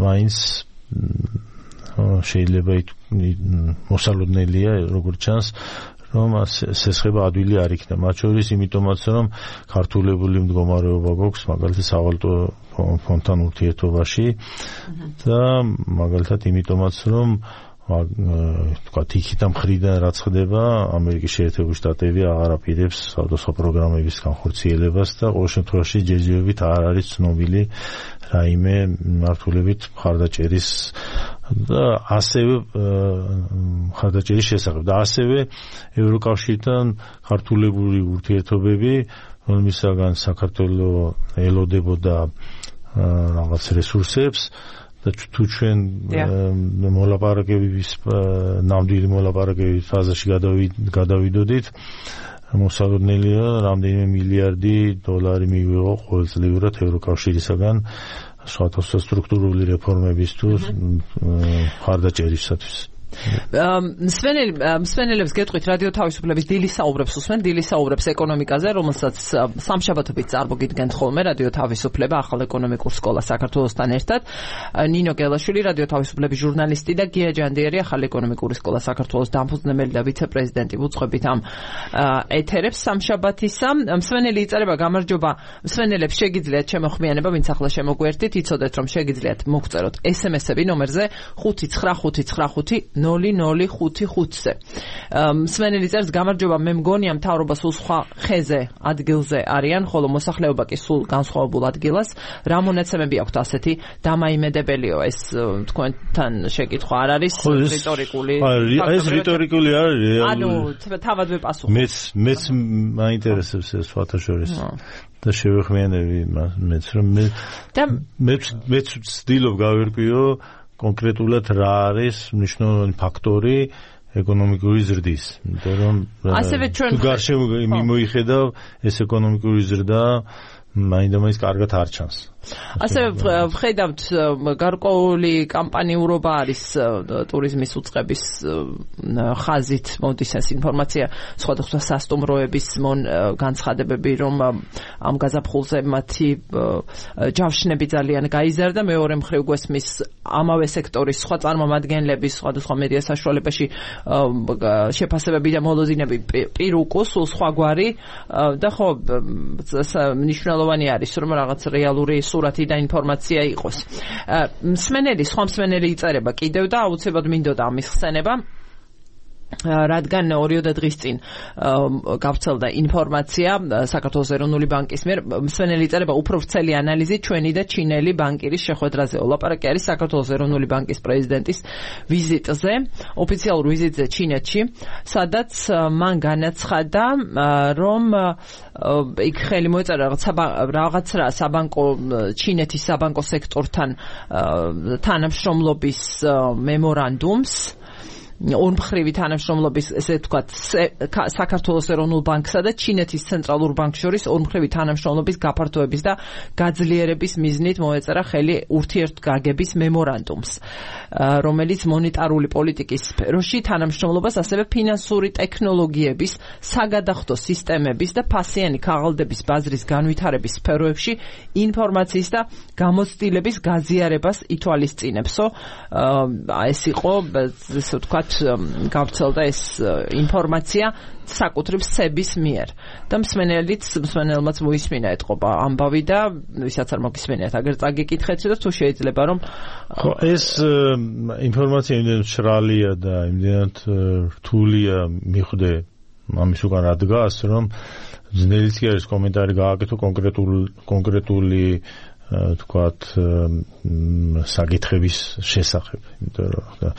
მაინც შეიძლება მოსალოდნელია, როგორც ჩანს, რომ სესხება ადვილი არ იქნება. მათ შორის იმიტომაც, რომ ქართულებული მდგომარეობა გვაქვს, მაგალითად სავალუტო ფონდთან ურთიერთობაში და მაგალითად იმიტომაც, რომ თქვათ იქიდან მხრიდან რაც ხდება, ამერიკის შეერთებული შტატები აღარ აპირებს სხვადასხვა პროგრამების განხორციელებას და ყოველ შემთხვევაში ჯერჯერობით არ არის ცნობილი რაიმე მართულებით მხარდაჭერის და ასევე მხარდაჭერის შესახებ და ასევე ევროკავშირთან ქართულებული ურთიერთობები, რომლისაგან საქართველოს ელოდებოდა რაღაც რესურსებს და თუ ჩვენ მოლაპარაკებების ნამდვილი მოლაპარაკებების ფაზაში გადავიდოდით, მოსალოდნელია რამდენიმე მილიარდი დოლარი მივიღო ყოველწლიურად ევროკავშირისაგან სხვადასხვა სტრუქტურული რეფორმების თუ მხარდაჭერისათვის. მსმენელებს გეტყვით რადიო თავისუფლების დილის საუბრებს უსმენ, დილის საუბრებს ეკონომიკაზე, რომელსაც სამშაბათობით წარმოგიდგენთ ხოლმე რადიო თავისუფლება ახალ ეკონომიკურ სკოლას საქართველოსთან ერთად. ნინო გელაშვილი, რადიო თავისუფლების ჟურნალისტი და გია ჯანდიერი, ახალ ეკონომიკური სკოლა საქართველოს დამფუძნებელი და ვიცე-პრეზიდენტი უწყებით ამ ეთერებს სამშაბათისა. მსმენელი იწერება გამარჯობა, მსმენელებს შეგიძლიათ შემოხმიანება, ვინც ახლა შემოგვერთით, იცოდეთ რომ შეგიძლიათ მოგწეროთ SMS-ები ნომერზე 59595 0055-ზე. მსმენელი წერს გამარჯობა, მე მგონია მთავრობა სულ სხვა ხეზე ადგილზე არიან, ხოლო მოსახლეობა კი სულ განსხვავებულ ადგილას. რა მონაცემები აქვთ ასეთი დამაიმედებელიო? ეს თქვენთან შეკითხვა არ არის რიტორიკული? ეს რიტორიკული არ არის. ანუ თავადვე პასუხი. მეც მაინტერესებს ეს სხვათა შორის. და შევეხმიანები მეც რომ მეც ვცდილობ გავერკვიო კონკრეტულად რა არის მნიშვნელოვანი ფაქტორი ეკონომიკური ზრდის. იმიტომ რომ თუ გარშემო მიმოიხედავ ეს ეკონომიკური ზრდა მაინდა-მაინც კარგად არ ჩანს. ასევე ვხედავთ გარკვეული კამპანიურობა არის ტურიზმის უწყების ხაზით მოდის ეს ინფორმაცია სხვადასხვა სასტუმროების განცხადებები რომ ამ გაზაფხულზე მათი ჯავშნები ძალიან გაიზარდა მეორე მხრივ გვესმის ამავე სექტორის სხვა წარმომადგენლების სხვადასხვა მედია საშუალებაში შეფასებები და მოლოდინები პირუკუს სულ სხვაგვარი და ხო მნიშვნელოვანი არის რომ რაღაც რეალური სურათი და ინფორმაცია იყოს. მსმენელი, სხვა მსმენელი იწერება კიდევ და აუცილებლად მინდოდა ამის ხსენება. რადგან 2 დღის წინ გავრცელდა ინფორმაცია საქართველოს ეროვნული ბანკის მიერ მსმენელი იწერება უფრო ვრცელი ანალიზი ჩვენი და ჩინელი ბანკირის შეხვედრაზე. ლაპარაკი არის საქართველოს ეროვნული ბანკის პრეზიდენტის ვიზიტზე, ოფიციალურ ვიზიტზე ჩინეთში, სადაც მან განაცხადა, რომ იქ ხელი მოეწერა რაღაც საბანკო ჩინეთის საბანკო სექტორთან თანამშრომლობის მემორანდუმს ორმხრივი თანამშრომლობის ესე ვთქვათ საქართველოს ეროვნულ ბანკსა და ჩინეთის ცენტრალურ ბანკს შორის ორმხრივი თანამშრომლობის გაფართოების და გაძლიერების მიზნით მოეწერა ხელი ურთიერთგაგების მემორანდუმს, რომელიც მონეტარული პოლიტიკის სფეროში თანამშრომლობას ასევე ფინანსური ტექნოლოგიების, საგადახდო სისტემების და ფასიანი ქაღალდების ბაზრის განვითარების სფეროებში ინფორმაციის და გამოცდილების გაზიარებას ითვალისწინებსო. ეს იყო ესე ვთქვათ გავრცელდა ეს ინფორმაცია საკუთრივ სების მიერ და მსმენელმაც მოისმინა ეთყობა ამბავი და ვისაც არ მოგისმენიათ აგერ წაგიკითხეთ და თუ შეიძლება რომ ხო ეს ინფორმაცია იმდენად მშრალია და იმდენად რთულია მიხვდე ამის უკან რა დგას რომ ძნელიც კი არის კომენტარი გააკეთო კონკრეტული თქვათ საკითხების შესახებ, იმიტომ რომ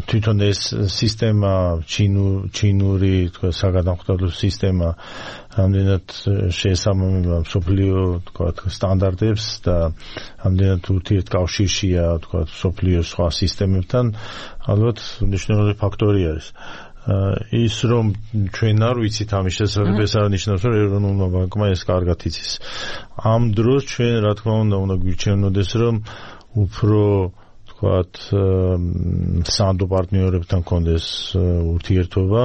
თვითონ ეს სისტემა ჩინური თქვათ საგანახტავო სისტემა ამდენად შეესაბამება მსოფლიო თქვათ სტანდარტებს და ამდენად ურთიერთკავშირშია თქვათ მსოფლიოს სხვა სისტემებთან, ალბათ მნიშვნელოვანი ფაქტორი არის. ის რომ ჩვენ არ ვიცით ამის შესახებ ეს არნიშნავს რომ ეროვნულმა ბანკმა ეს კარგად იცის. ამ დროს ჩვენ რა თქმა უნდა გვირჩევნოდეს რომ უფრო თქვათ სანდო პარტნიორებთან კონდეს ურთიერთობა,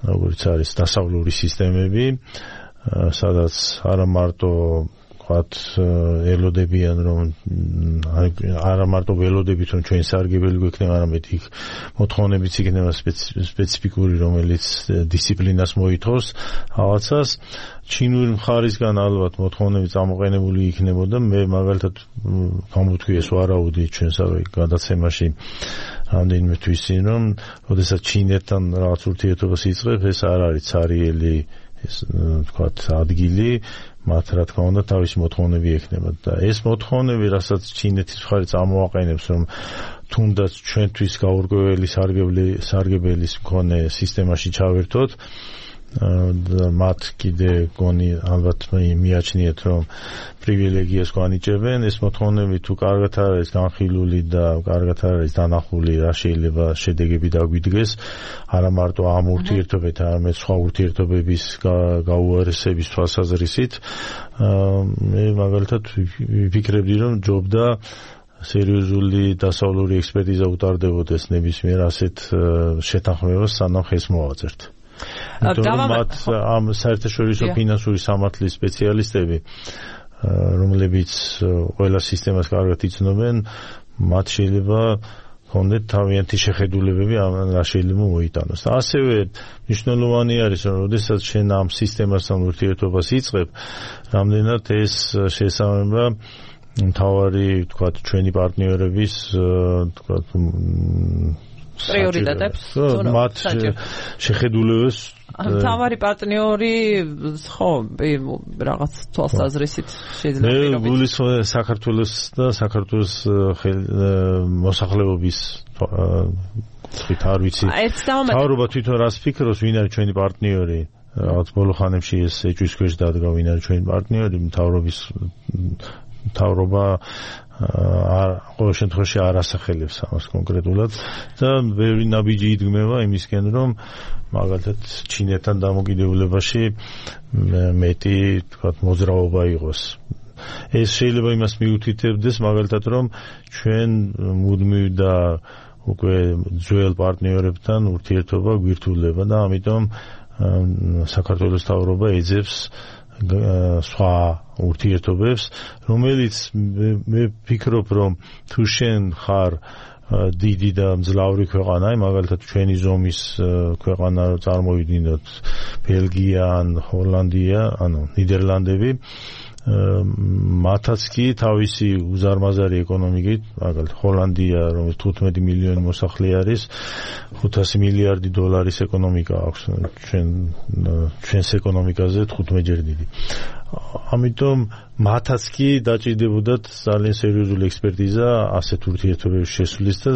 როგორც არის დასავლური სისტემები, სადაც არა მარტო ელოდებიან რომ არა მარტო ველოდებით რომ ჩვენ სარგებელი გვექნება, არამედ იქ მოთხოვნებიც იქნება სპეციფიკური, რომელიც დისციპლინას მოითხოვს რაღაცას. ჩინური მხარისგან ალბათ მოთხოვნები წამოყენებული იქნებოდა. მე მაგალითად გამოთქვი ეს ვარაუდი ჩვენსავე გადაცემაში რამდენიმე თვის წინ, რომ როდესაც ჩინეთთან რაღაც ურთიერთობას იწყებ, ეს არ არის ცარიელი ეს თქვათ ადგილი, მათ რა თქმა უნდა თავისი მოთხოვნები ექნება და ეს მოთხოვნები, რასაც ჩინეთის მხარე წამოაყენებს, რომ თუნდაც ჩვენთვის გაურკვეველი სარგებლის მქონე სისტემაში ჩავერთოთ, მათ კიდე გონი ალბათ მიაჩნიეთ რომ პრივილეგიას განიჭებენ. ეს მოთხოვნები თუ კარგად არის განხილული და კარგად არის დანახული, რა შეიძლება შედეგები დაგვიდგეს არა მარტო ამ ურთიერთობებთან, არამედ სხვა ურთიერთობების გაუარესების თვალსაზრისით, მე მაგალითად ვფიქრებდი რომ ჯობდა სერიოზული დასავლური ექსპერტიზა უტარდებოდეს ნებისმიერ ასეთ შეთანხმებას, სანამ ხელს მოვაწერთ. მათ ამ საერთაშორისო ფინანსური სამართლის სპეციალისტები, რომლებიც ყველა სისტემას კარგად იცნობენ, მათ შეიძლება ჰქონდეთ თავიანთი შეხედულებები რა შეიძლება მოიტანოს. და ასევე მნიშვნელოვანი არის, რომ როდესაც შენ ამ სისტემასთან ურთიერთობას იწყებ, რამდენად ეს შეესაბამება მთავარი თქვათ ჩვენი პარტნიორების თქვათ პრიორიტეტებს, მათ შეხედულებებს. მთავარი პარტნიორი ხო რაღაც თვალსაზრისით შეიძლება მე გულისხმობ საქართველოს და საქართველოს მოსახლეობის თვით არ ვიცი. თავრობა თვითონ რას ფიქრობს, ვინ არის ჩვენი პარტნიორი? რაღაც ბოლო ხანებში ეს ეჭვის ქვეშ დადგა, ვინ არის ჩვენი პარტნიორი, მთავრობა ყოველ შემთხვევაში არ ასახელებს ამას კონკრეტულად და ბევრი ნაბიჯი იდგმება იმისკენ, რომ მაგალითად ჩინეთთან დამოკიდებულებაში მეტი თქვათ მოძრაობა იყოს. ეს შეიძლება იმას მიუთითებდეს მაგალითად რომ ჩვენ მუდმივ და უკვე ძველ პარტნიორებთან ურთიერთობა გვირთულება და ამიტომ საქართველოს მთავრობა ეძებს სხვა ურთიერთობებს, რომელიც მე ვფიქრობ, რომ თუ შენ ხარ დიდი და მძლავრი ქვეყანა, მაგალითად ჩვენი ზომის ქვეყანა წარმოვიდგინოთ ბელგია, ჰოლანდია, ნიდერლანდები, მათაც კი თავისი უზარმაზარი ეკონომიკით, მაგალითად ჰოლანდია, რომელიც 15 მილიონი მოსახლე არის, 500 მილიარდი დოლარის ეკონომიკა აქვს, ჩვენს ეკონომიკაზე 15-ჯერ დიდი. ამიტომ მათაც კი დაჭირდებოდათ ძალიან სერიოზული ექსპერტიზა ასეთ ურთიერთობების შესulis და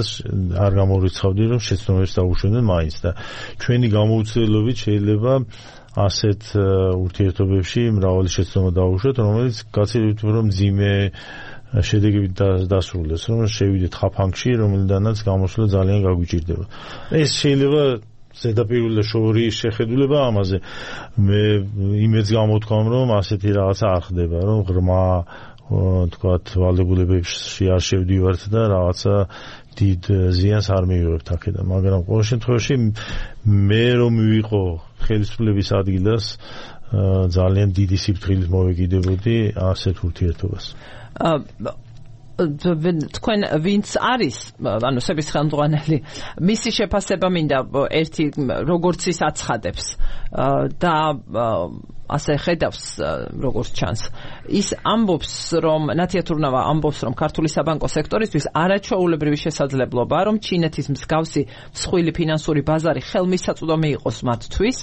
არ გამორიცხავდი რომ შეცდომებს დაუშვებდნენ მაინც და ჩვენი გამოუცდელობით შეიძლება ასეთ ურთიერთობებში მრავალი შეცდომა დაუშვათ, რომელიც გაცილებით რომ მძიმე შედეგებით დასრულდეს, რომ შევიდეთ ხაფანგში, რომელიდანაც გამოსვლა ძალიან გაგვიჭირდება. ეს შეიძლება ზედაპირული და შორეული შეხედულება ამაზე. მე იმედს გამოთქვამ, რომ ასეთი რაღაცა არ ხდება, რომ ღრმა თქვათ ვალდებულებებში არ შევდივართ და რაღაცა დიდ ზიანს არ მივიღებთ აქედან, მაგრამ ყოველ შემთხვევაში მე რომ ვიყო ხელისუფლების ადგილას ძალიან დიდი სიფრთხილით მოვეკიდებოდი ასეთ ურთიერთობას. თქვენ ვინც არის, ანუ სების ხელმძღვანელი, მისი შეფასება მინდა ერთი როგორც ის აცხადებს და ასე ხედავს როგორც ჩანს. ის ამბობს, რომ ნათიათურნავა ამბობს, რომ ქართული საბანკო სექტორისთვის არაჩვეულებრივი შესაძლებლობა, რომ ჩინეთის მსგავსი მსხვილი ფინანსური ბაზარი ხელმისაწვდომი იყოს მათთვის,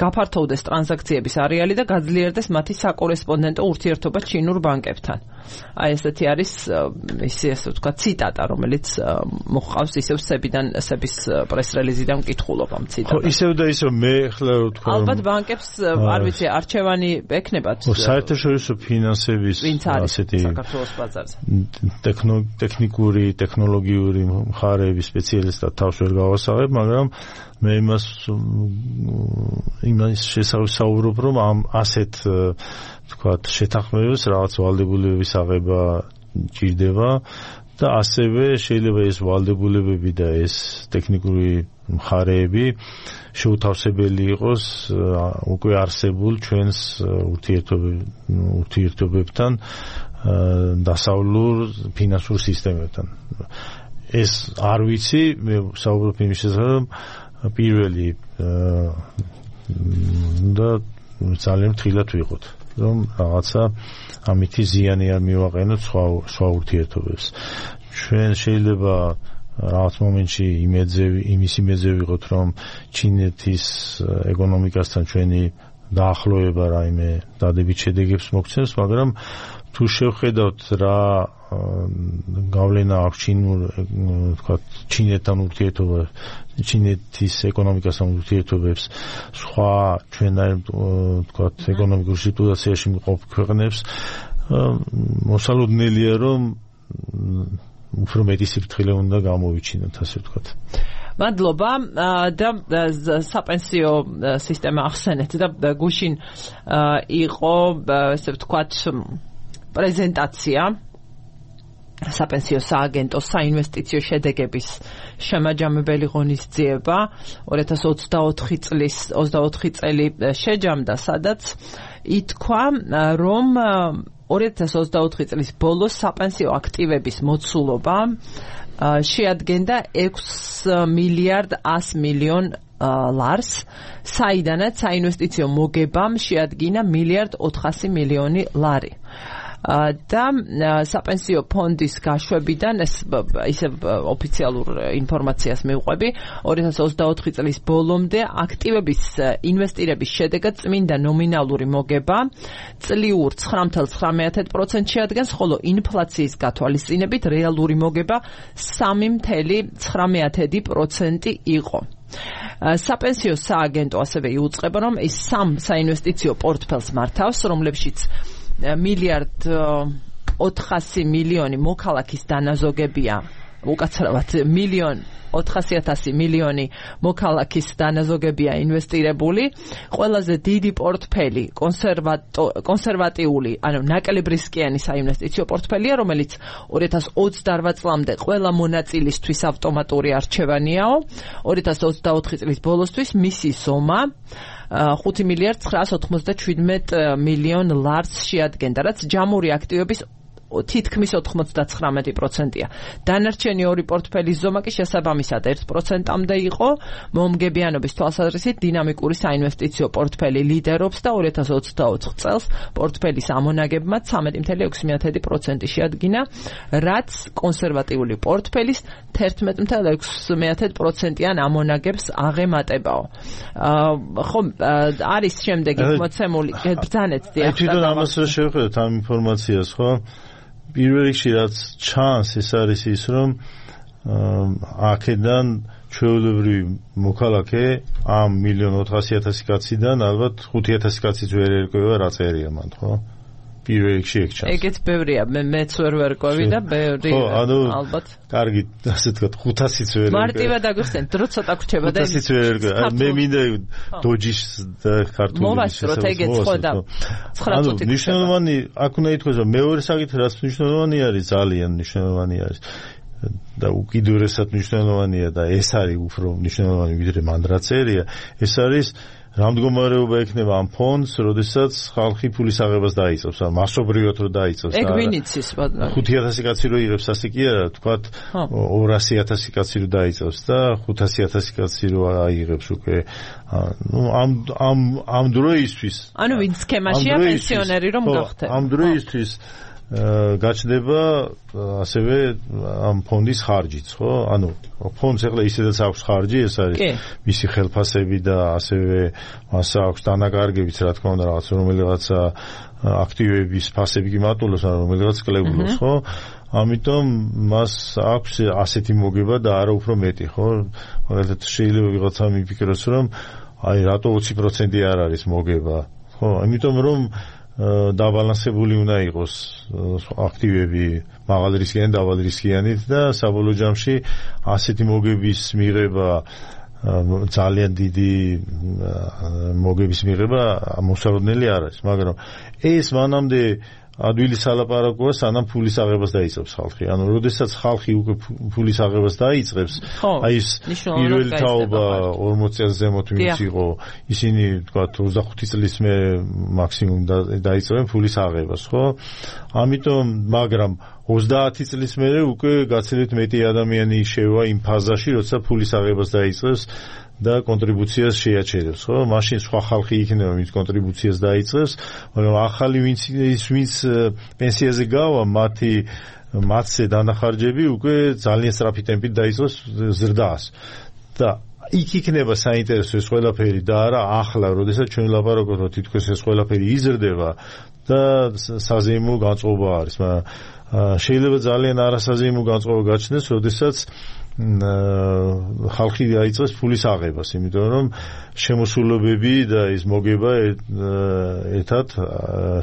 გაფართოვდეს ტრანზაქციების არეალი და გაძლიერდეს მათი საკორესპონდენტო ურთიერთობა ჩინურ ბანკებთან. აი ესეთი არის ისე ვთქვა ციტატა, რომელიც მოხავს ისევ სების პრეს-რელიზიდან ვკითხულობ ამ ციტატას. ხო, ისევ და ისევ მე ხლა ვთქვა რომ ალბათ ბანკებს არ ვიცი არჩევანი ექნებათ. საერთაშორისო ფინანსების ასეთი საქართველოს ბაზარზე. ტექნიკური, ტექნოლოგიური მხარეების სპეციალისტად თავს ვერ გავასაღებ, მაგრამ მე იმას შესაუბრობ, რომ ამ ასეთ თქვათ შეთანხმებებს რაღაც ვალდებულებების აღება ჭირდება და ასევე შეიძლება ეს ვალდებულებები და ეს ტექნიკური მხარეები შეუთავსებელი იყოს უკვე არსებულ ჩვენს ურთიერთობებთან დასავლურ ფინანსურ სისტემებთან. ეს არ ვიცი, მე საუბრობ იმის შესახებ, პირველი და ძალიან ფრთხილად ვიყოთ, რომ რაღაცა ამითი ზიანი არ მივაყენოთ სხვა ურთიერთობებს. ჩვენ შეიძლება რაღაც მომენტში იმის იმედზე ვიყოთ, რომ ჩინეთის ეკონომიკასთან ჩვენი დაახლოება რაიმე დადებით შედეგებს მოგცემს, მაგრამ თუ შევხედავთ რა გავლენა აქვს ჩინეთთან ურთიერთობა, ჩინეთის ეკონომიკასთან ურთიერთობებს სხვა ჩვენაირ თქვათ ეკონომიკურ სიტუაციაში მყოფ ქვეყნებს, მოსალოდნელია რომ უფრო მეტი სიფრთხილე უნდა გამოვიჩინოთ, ასე ვთქვათ. მადლობა და საპენსიო სისტემა ახსენეთ და გუშინ იყო ესე ვთქვათ პრეზენტაცია საპენსიო სააგენტოს საინვესტიციო შედეგების შემაჯამებელი ღონისძიება 2024 წელი შეჯამდა, სადაც ითქვა, რომ 2024 წლის ბოლოს საპენსიო აქტივების მოცულობა შეადგენდა 6 მილიარდ 100 მილიონ ლარს, საიდანაც საინვესტიციო მოგებამ შეადგინა მილიარდ 400 მილიონი ლარი. და საპენსიო ფონდის გაშვებიდან ისე ოფიციალურ ინფორმაციას მივყვები 2024 წლის ბოლომდე აქტივების ინვესტირების შედეგად წმინდა ნომინალური მოგება წლიურ 9.9%-ში ადგენს, ხოლო ინფლაციის გათვალისწინებით რეალური მოგება 3.9% იყო. საპენსიო სააგენტო ასევე იუწყება, რომ ის სამ საინვესტიციო პორტფელს მართავს, რომლებშიც მილიარდ 400 მილიონი მოქალაქის დანაზოგებია უკაცრავად 1,400,000 მილიონი მოქალაქის დანაზოგებია ინვესტირებული. ყველაზე დიდი პორტფელი კონსერვატიული, ანუ ნაკლებ რისკიანი საინვესტიციო პორტფელია, რომელიც 2028 წლამდე ყველა მონაწილისთვის ავტომატური არჩევანიაო. 2024 წლის ბოლოსთვის მისი ზომა 5,997,000,000 ლარს შეადგენდა, რაც ჯამური აქტივების თითქმის 99%-ია. დანარჩენი ორი პორტფელის ზომა კი შესაბამისად 1%-მდე იყო. მომგებიანობის თვალსაზრისით დინამიკური საინვესტიციო პორტფელი ლიდერობს და 2024 წელს პორტფელის ამონაგებმა 13,6% შეადგინა, რაც კონსერვატიული პორტფელის 11,6%-იან ამონაგებს აღემატებაო. ხო, არის შემდეგი მოცემული ბრძანეთ დიახ. თვითონ ამას შევხედოთ ამ ინფორმაციას, ხო? პირველ რიგში რაც ჩანს ეს არის ის რომ აქედან ჩვეულებრივი მოქალაქე ამ 1,400,000 კაციდან ალბათ 5,000 კაციც ვერ ერკვევა რა წერია მან, ხო? პირველ რიგში ეგ ჩანს. ეგეც ბევრია, მეც ვერ ვერკვევი და ბევრი ალბათ. კარგი, ასე თქვა 500-იც ვერ ერკვევა. მარტივად აგიხსენ, დრო ცოტა გრჩება და 500-იც ვერ ერკვევა. მე მინდა დოჯის და ქართული მოვასწროთ ეგეც ხო და 9 წუთი. მნიშვნელოვანი აქ უნდა ითქვას რომ მეორე საკითხი რაც მნიშვნელოვანი არის, ძალიან მნიშვნელოვანი არის. და უკიდურესად მნიშვნელოვანია და ეს არის უფრო მნიშვნელოვანი ვიდრე მან რა წერია, ეს არის რა მდგომარეობა ექნება ამ ფონდს, როდესაც ხალხი ფულის აღებას დაიწყებს, ან მასობრივად რო დაიწყებს. ეგ ვინიცის ბატონო. 5,000 კაცი რო იღებს, ასე კი არა, თქვათ 200,000 კაცი რო დაიწყებს და 500,000 კაცი რო აიღებს უკვე. ნუ ამ დროისთვის. ანუ ვინ სქემაშია პენსიონერი რომ გახდე. ამ დროისთვის გაჩნდება ასევე ამ ფონდის ხარჯიც, ხო? ანუ ფონდს ახლა ისედაც აქვს ხარჯი, ეს არის მისი ხელფასები და ასევე მას აქვს დანაკარგებიც, რა თქმა უნდა, რომელიღაცა აქტივების ფასები კი მატულობს, ან რომელიღაც კლებულობს, ხო? ამიტომ მას აქვს ასეთი მოგება და არა უფრო მეტი, ხო? მაგალითად შეიძლება ვიღაცა მიფიქროს, რომ აი რატო 20% არ არის მოგება, ხო? ამიტომ რომ დაბალანსებული უნდა იყოს აქტივები მაღალ რისკიანი, დაბალ რისკიანით და საბოლოო ჯამში ასეთი მოგების მიღება ძალიან დიდი მოგების მიღება მოსალოდნელი არ არის, მაგრამ ეს მანამდე ადვილი სალაპარაკოა, სანამ ფულის აღებას დაიწყებს ხალხი. ანუ როდესაც ხალხი უკვე ფულის აღებას დაიწყებს, აი ეს პირველი თაობა 40 წელს ზემოთ ვინც იყო, ისინი თქვა 25 წლის მე მაქსიმუმ დაიწყებენ ფულის აღებას, ხო? ამიტომ, მაგრამ 30 წლის მერე უკვე გაცილებით მეტი ადამიანი შევა იმ ფაზაში, როცა ფულის აღებას დაიწყებს და კონტრიბუციას შეაჩერებს, ხო? მაშინ სხვა ხალხი იქნება, ვინც კონტრიბუციას დაიწყებს, მაგრამ ახალი ვინც პენსიაზე გავა, მათზე დანახარჯები უკვე ძალიან სწრაფი ტემპით დაიწყოს ზრდას. და იქ იქნება საინტერესო ეს ყველაფერი და არა ახლა, როდესაც ჩვენ ვლაპარაკობთ, რომ თითქოს ეს ყველაფერი იზრდება და საზეიმო განწყობა არის, მაგრამ შეიძლება ძალიან არასაზეიმო განწყობა გაჩნდეს, როდესაც ხალხი დაიწყებს ფულის აღებას, იმიტომ რომ შემოსულობები და ის მოგება ერთად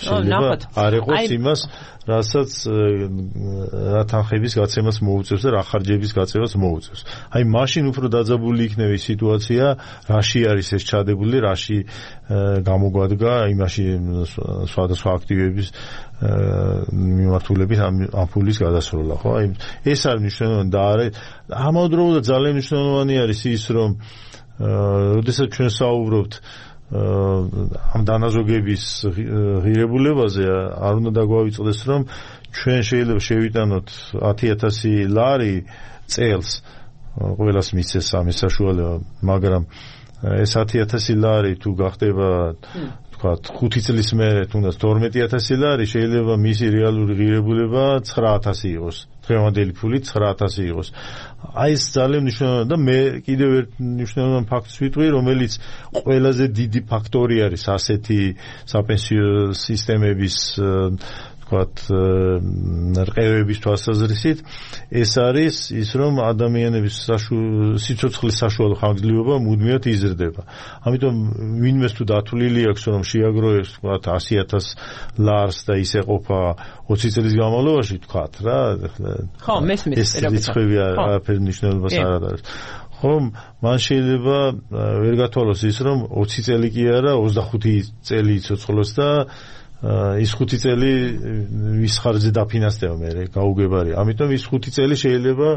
შეიძლება არ იყოს იმას, რასაც რა თანხების გაცემას მოუწევს და რა ხარჯების გაწევას მოუწევს. აი მაშინ უფრო დაძაბული იქნება ის სიტუაცია, რაში არის ეს ჩადებული, რაში გამოგვადგა იმაში სხვადასხვა აქტივების მიმართულებით ამ ფულის გადასროლა, ხო? აი ეს არის მნიშვნელოვანი და ამავდროულად ძალიან მნიშვნელოვანი არის ის, რომ როდესაც ჩვენ საუბრობთ ამ დანაზოგების ღირებულებაზე, არ უნდა დაგვავიწყდეს, რომ ჩვენ შეიძლება შევიტანოთ 10,000 ლარი წელს, ყველას მისცეს ამის საშუალება, მაგრამ ეს 10,000 ლარი თუ გახდება თქვათ 5 წლის მერე თუნდაც 12,000 ლარი, შეიძლება მისი რეალური ღირებულება 9,000 იყოს. დღევანდელი ფული 9,000 იყოს. აი ეს ძალიან მნიშვნელოვანია და მე კიდევ ერთ მნიშვნელოვან ფაქტს ვიტყვი, რომელიც ყველაზე დიდი ფაქტორი არის ასეთი საპენსიო სისტემების თქვათ რყევების თვალსაზრისით ეს არის ის რომ ადამიანების სიცოცხლის საშუალო ხანგრძლივობა მუდმივად იზრდება. ამიტომ ვინმეს თუ დათვლილი აქვს რომ შეაგროვებს თქვათ 100,000 ლარს და ის ეყოფა 20 წლის განმავლობაში თქვათ რა ხო მესმის ეს რიცხვები არაფერ მნიშვნელობას არ აქვს. ხომ მან შეიძლება ვერ გათვალოს ის რომ 20 წელი კი არა 25 წელი იცოცხლოს და ის 5 წელი ვის ხარჯზე დაფინანსდება მე გაუგებარი. ამიტომ ის 5 წელი შეიძლება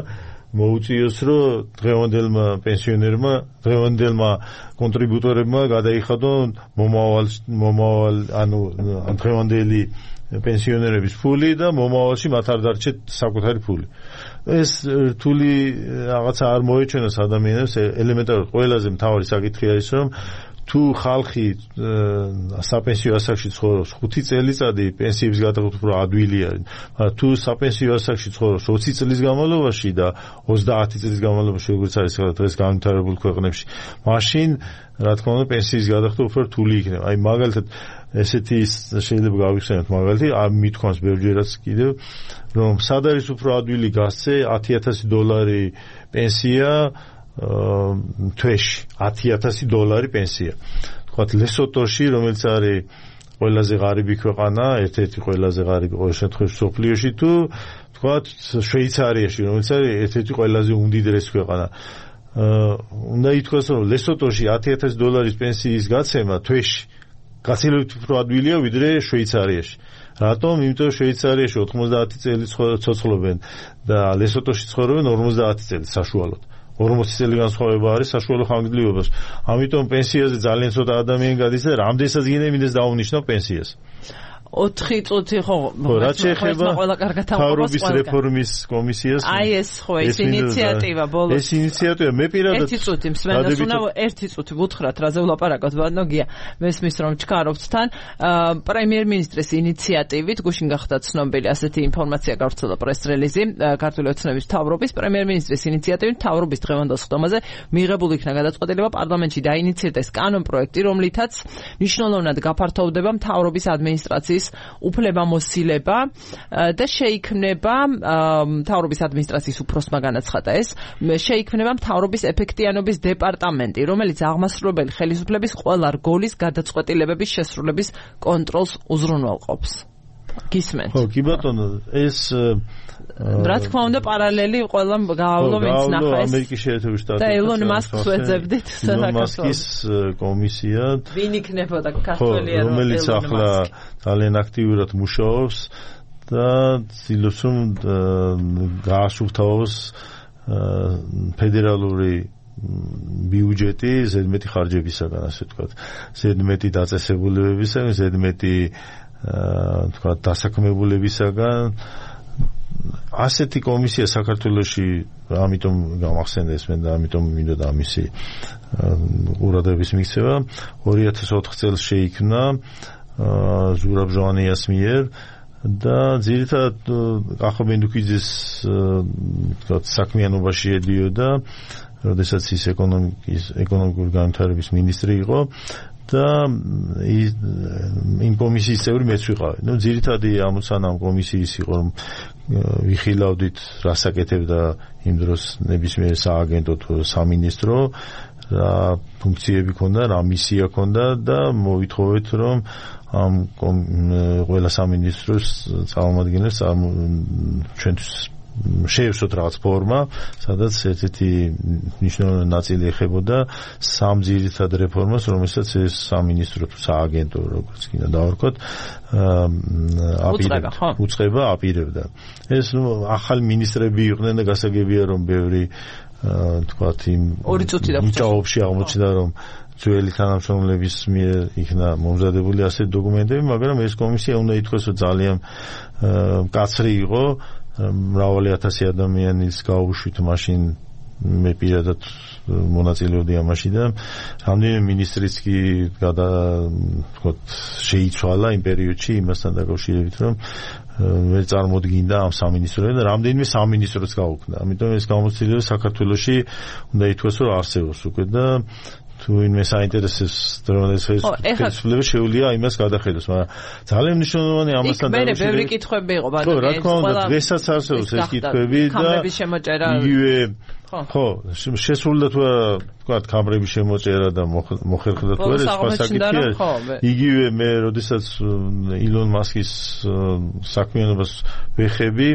მოუწიოს რომ დღევანდელმა პენსიონერმა, დღევანდელმა კონტრიბუტორებმა გადაიხადონ მომავალ ანუ დღევანდელი პენსიონერების ფული და მომავალში მათ არ დარჩეთ საკუთარი ფული. ეს რთული რაღაცა არ მოეჩვენოს ადამიანებს. ელემენტარულად ყველაზე მთავარი საკითხი არის რომ თუ ხალხი საპენსიო ასაკში ცხოვრობს 5 წელიწადი პენსიების გადაღება უფრო ადვილი არის. თუ საპენსიო ასაკში ცხოვრობს 20 წლის განმავლობაში და 30 წლის განმავლობაში როგორც არის დღეს განვითარებულ ქვეყნებში, მაშინ რა თქმა უნდა პენსიის გადაღება უფრო რთული იქნება. აი მაგალითად ესეთი შეიძლება გავიხსენოთ მაგალითი, მithქვამს ბევრჯერაც კიდევ რომ სად არის უფრო ადვილი გასცე $10,000 პენსია თვეში $10,000 პენსია. თქვათ ლესოტოში, რომელიც არის ყველაზე ღარიბი ქვეყანა, ერთ-ერთი ყველაზე ღარიბი ყოველ შემთხვევაში სოფლიოში თუ თქვათ შვეიცარიაში, რომელიც არის ერთ-ერთი ყველაზე უმდიდრესი ქვეყანა. უნდა ითქვას რომ ლესოტოში $10,000 პენსიის გაცემა თვეში გაცილებით უფრო ადვილია ვიდრე შვეიცარიაში. რატომ? იმიტომ რომ შვეიცარიაში 90 წელი ცოცხლობენ და ლესოტოში ცხოვრობენ 50 წელი საშუალოდ. 40 წელი განსხვავება არის საშუალო ხანგრძლივობას. ამიტომ პენსიაზე ძალიან ცოტა ადამიანი გადის და რამდენსაც გინდა დაუნიშნავ პენსიას. 4 წუთი ხო რაც შეეხება თავრობის რეფორმის კომისიას აი ეს ხო ეს ინიციატივა ბოლოს ეს ინიციატივა მე პირადად 1 წუთი მსმენელს უნდა 1 წუთი ვუთხრათ რაზე ვლაპარაკოთ ბატონო გია მესმის რომ ჩქარობთ თან პრემიერ-მინისტრის ინიციატივით გუშინ გახდა ცნობილი ასეთი ინფორმაცია გავრცელდა პრეს-რელიზი ქართული ოცნების თავრობის პრემიერ-მინისტრის ინიციატივით თავრობის დღევანდელ სხდომაზე მიღებული იქნა გადაწყვეტილება პარლამენტში დაინიციირდეს კანონ-პროექტი რომლითაც მნიშვნელოვნად გაფართოვდება მთავრობის ადმინისტრაციის უფლებამოსილება და შეიქმნება მთავრობის ადმინისტრაციის უფროსმა განაცხადა ეს შეიქმნება მთავრობის ეფექტიანობის დეპარტამენტი რომელიც აღმასრულებელი ხელისუფლების ყველა რგოლის გადაწყვეტილებების შესრულების კონტროლს უზრუნველყოფს. გისმენთ? ხო, კი ბატონო, ეს რა თქმა უნდა პარალელი ყველა გაავლო ვინც ნახა ეს ამერიკის შეერთებული შტატები და ელონ მასკს ვეძებდით საქართველოს კომისია ვინ იქნებოდა ქართველი რომელიც ახლა ძალიან აქტიურად მუშაობს და ცდილობს რომ გაასუფთავოს ფედერალური ბიუჯეტი ზედმეტი ხარჯებისაგან ასე ვთქვათ ზედმეტი დაწესებულებებისაგან ზედმეტი თქვა დასაქმებულებისაგან ასეთი კომისია საქართველოში ამიტომ გამახსენდა ეს მე და ამიტომ მინდოდა ამისი ყურადღების მიქცევა 2004 წელს შეიქმნა ზურაბ ჟვანიას მიერ და ძირითადად ახო მენდუქიძის თქვა საქმიანობაში ედიოდა როდესაც ის ეკონომიკური განვითარების მინისტრი იყო და იმ კომისიის წევრი მეც ვიყავი. ნუ ძირითადი ამოცანა ამ კომისიის იყო რომ ვიხილავდით რასაკეთებდა იმ დროს ნებისმიერ სააგენტო თუ სამინისტრო რა ფუნქციები ქონდა, რა მისია ქონდა და მოვითხოვეთ რომ ამ ყველა სამინისტროს წარმომადგენლებს ჩვენთვის შეევსოთ რაღაც ფორმა, სადაც ერთ-ერთი მნიშვნელოვანი ნაწილი ეხებოდა სამ ძირითად რეფორმას, რომელსაც ეს სამინისტრო თუ სააგენტო, როგორც კიდე დავარქვათ, უწყება აპირებდა. ეს ახალი მინისტრები იყვნენ და გასაგებია რომ ბევრი თქვათ იმ ჭაობში აღმოჩნდა რომ ძველი თანამშრომლების მიერ იქნა მომზადებული ასეთი დოკუმენტები, მაგრამ ეს კომისია უნდა ითქვას რომ ძალიან მკაცრი იყო მრავალი ათასი ადამიანის გაუშვით მაშინ მე პირადად მონაწილეობდი ამაში და რამდენიმე მინისტრიც კი შეიცვალა იმ პერიოდში იმასთან დაკავშირებით რომ ვერ წარმოდგინდა ამ სამინისტროებს და რამდენიმე სამინისტროც გაუქმდა. ამიტომ ეს გამოცდილება საქართველოში უნდა ითქვას რომ არსებობს უკვე და თუ ვინმე საინტერესებს დრონის ხელისუფლება შეუძლია იმას გადახედოს, მაგრამ ძალიან მნიშვნელოვანი ამასთან დაკავშირებით. მე ბევრი კითხვები იყო, მაგრამ რა თქმა უნდა, დღესაც არსებობს ეს კითხვები და იგივე ხო, შესრულდა თუ თქვა კამრების შემოჭერა და მოხერხდა თუ არა სხვა საკითხია. იგივე მე როდესაც ილონ მასკის საქმიანობას ვეხები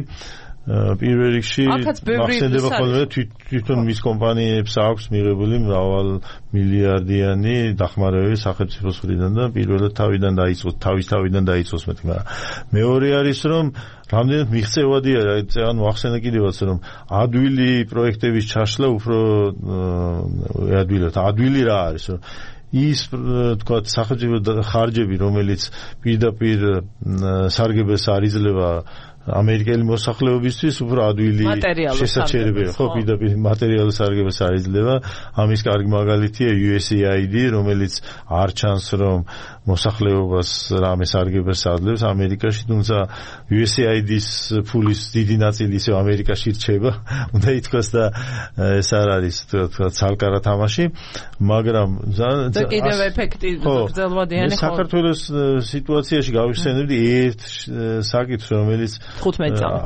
პირველ რიგში მახსენდება ხოლმე თვითონ მის კომპანიებს აქვს მიღებული მრავალ მილიარდიანი დახმარებები სახელმწიფოს მხრიდან და პირველად თავის თავიდან დაიწყოს მეტი, მაგრამ მეორე არის რომ რამდენად მიღწევადია, ანუ ახსენე კიდევაც რომ ადვილი პროექტების ჩაშლა უფრო ადვილი რა არის რომ ის თქვა სახელმწიფო ხარჯები რომელიც პირდაპირ სარგებელს არიძლება ამერიკელი მოსახლეობისთვის უფრო ადვილი შესაჩერებია, ხო, პირდაპირ მატერიალურ სარგებელს არიძლება. ამის კარგი მაგალითია USAID, რომელიც არ ჩანს რომ მოსახლეობას რამე სარგებელს აძლევს ამერიკაში, თუმცა USAID-ის ფულის დიდი ნაწილი ისევ ამერიკაში რჩება, უნდა ითქვას და ეს არ არის თქვა ცალკარა თამაში, მაგრამ და კიდევ ეფექტი გრძელვადიანი ხო. საქართველოს სიტუაციაში გავიხსენებდი ერთ საკითხს, რომელიც 15 წამი.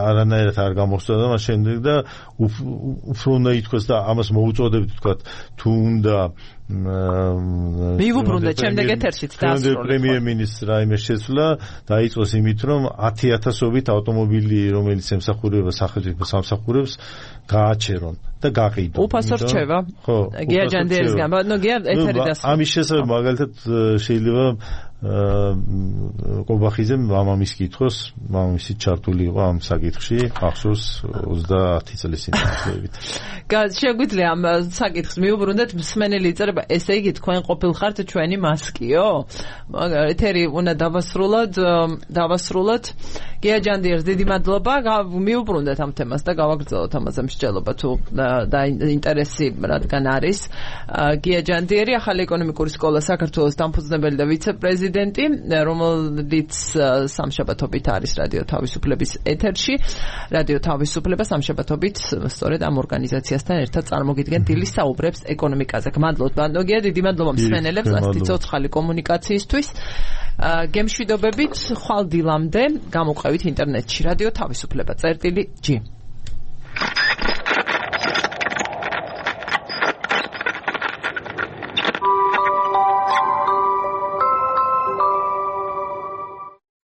არანაირად არ გამოხსნა და მას შემდეგ და უფრო უნდა ითქვას და ამას მოუწოდებთ თქვა თუ უნდა მივუბრუნდეთ შემდეგ ეთერშიც დაასრულოთ. პრემიერ-მინისტრ რაიმე შეცვლა დაიწყოს იმით რომ 10,000-ობით ავტომობილი რომელიც ემსახურება სახელმწიფო სამსახურებს გააჩერონ და გაყიდონ. უფასო რჩება. ხო. გია ჯანდიერისგან, ნუ გია ეთერი დასრულდა. ამის შესაძლებლად მაგალითად შეიძლება ყობახიძემ მამამის კითხოს, მამამისი ჩართული იყო ამ საკითხში, ახსოვს 30 წლის წინ დაახლოებით. შეგვიძლია ამ საკითხს მივუბრუნდეთ, მსმენელი იწერება, ესე იგი თქვენ ყოფილხართ ჩვენი მასკიო? ეთერი უნდა დავასრულოთ. გია ჯანდიერს დიდი მადლობა, მივუბრუნდეთ ამ თემას და გავაგრძელოთ ამაზე მსჯელობა თუ და ინტერესი რადგან არის. გია ჯანდიერი, ახალი ეკონომიკური სკოლა საქართველოს დამფუძნებელი და ვიცე-პრეზიდენტი, რომელიც სამშაბათობით არის რადიო თავისუფლების ეთერში. რადიო თავისუფლება სამშაბათობით სწორედ ამ ორგანიზაციასთან ერთად წარმოგიდგენ დილის საუბრებს ეკონომიკაზე. გმადლობთ, ბანდოგია, დიდი მადლობა მსმენელებს ასეთი ცოცხალი კომუნიკაციისთვის. გემშვიდობებით, ხვალ დილამდე გამოყევით ინტერნეტში რადიო თავისუფლება წერტილი G.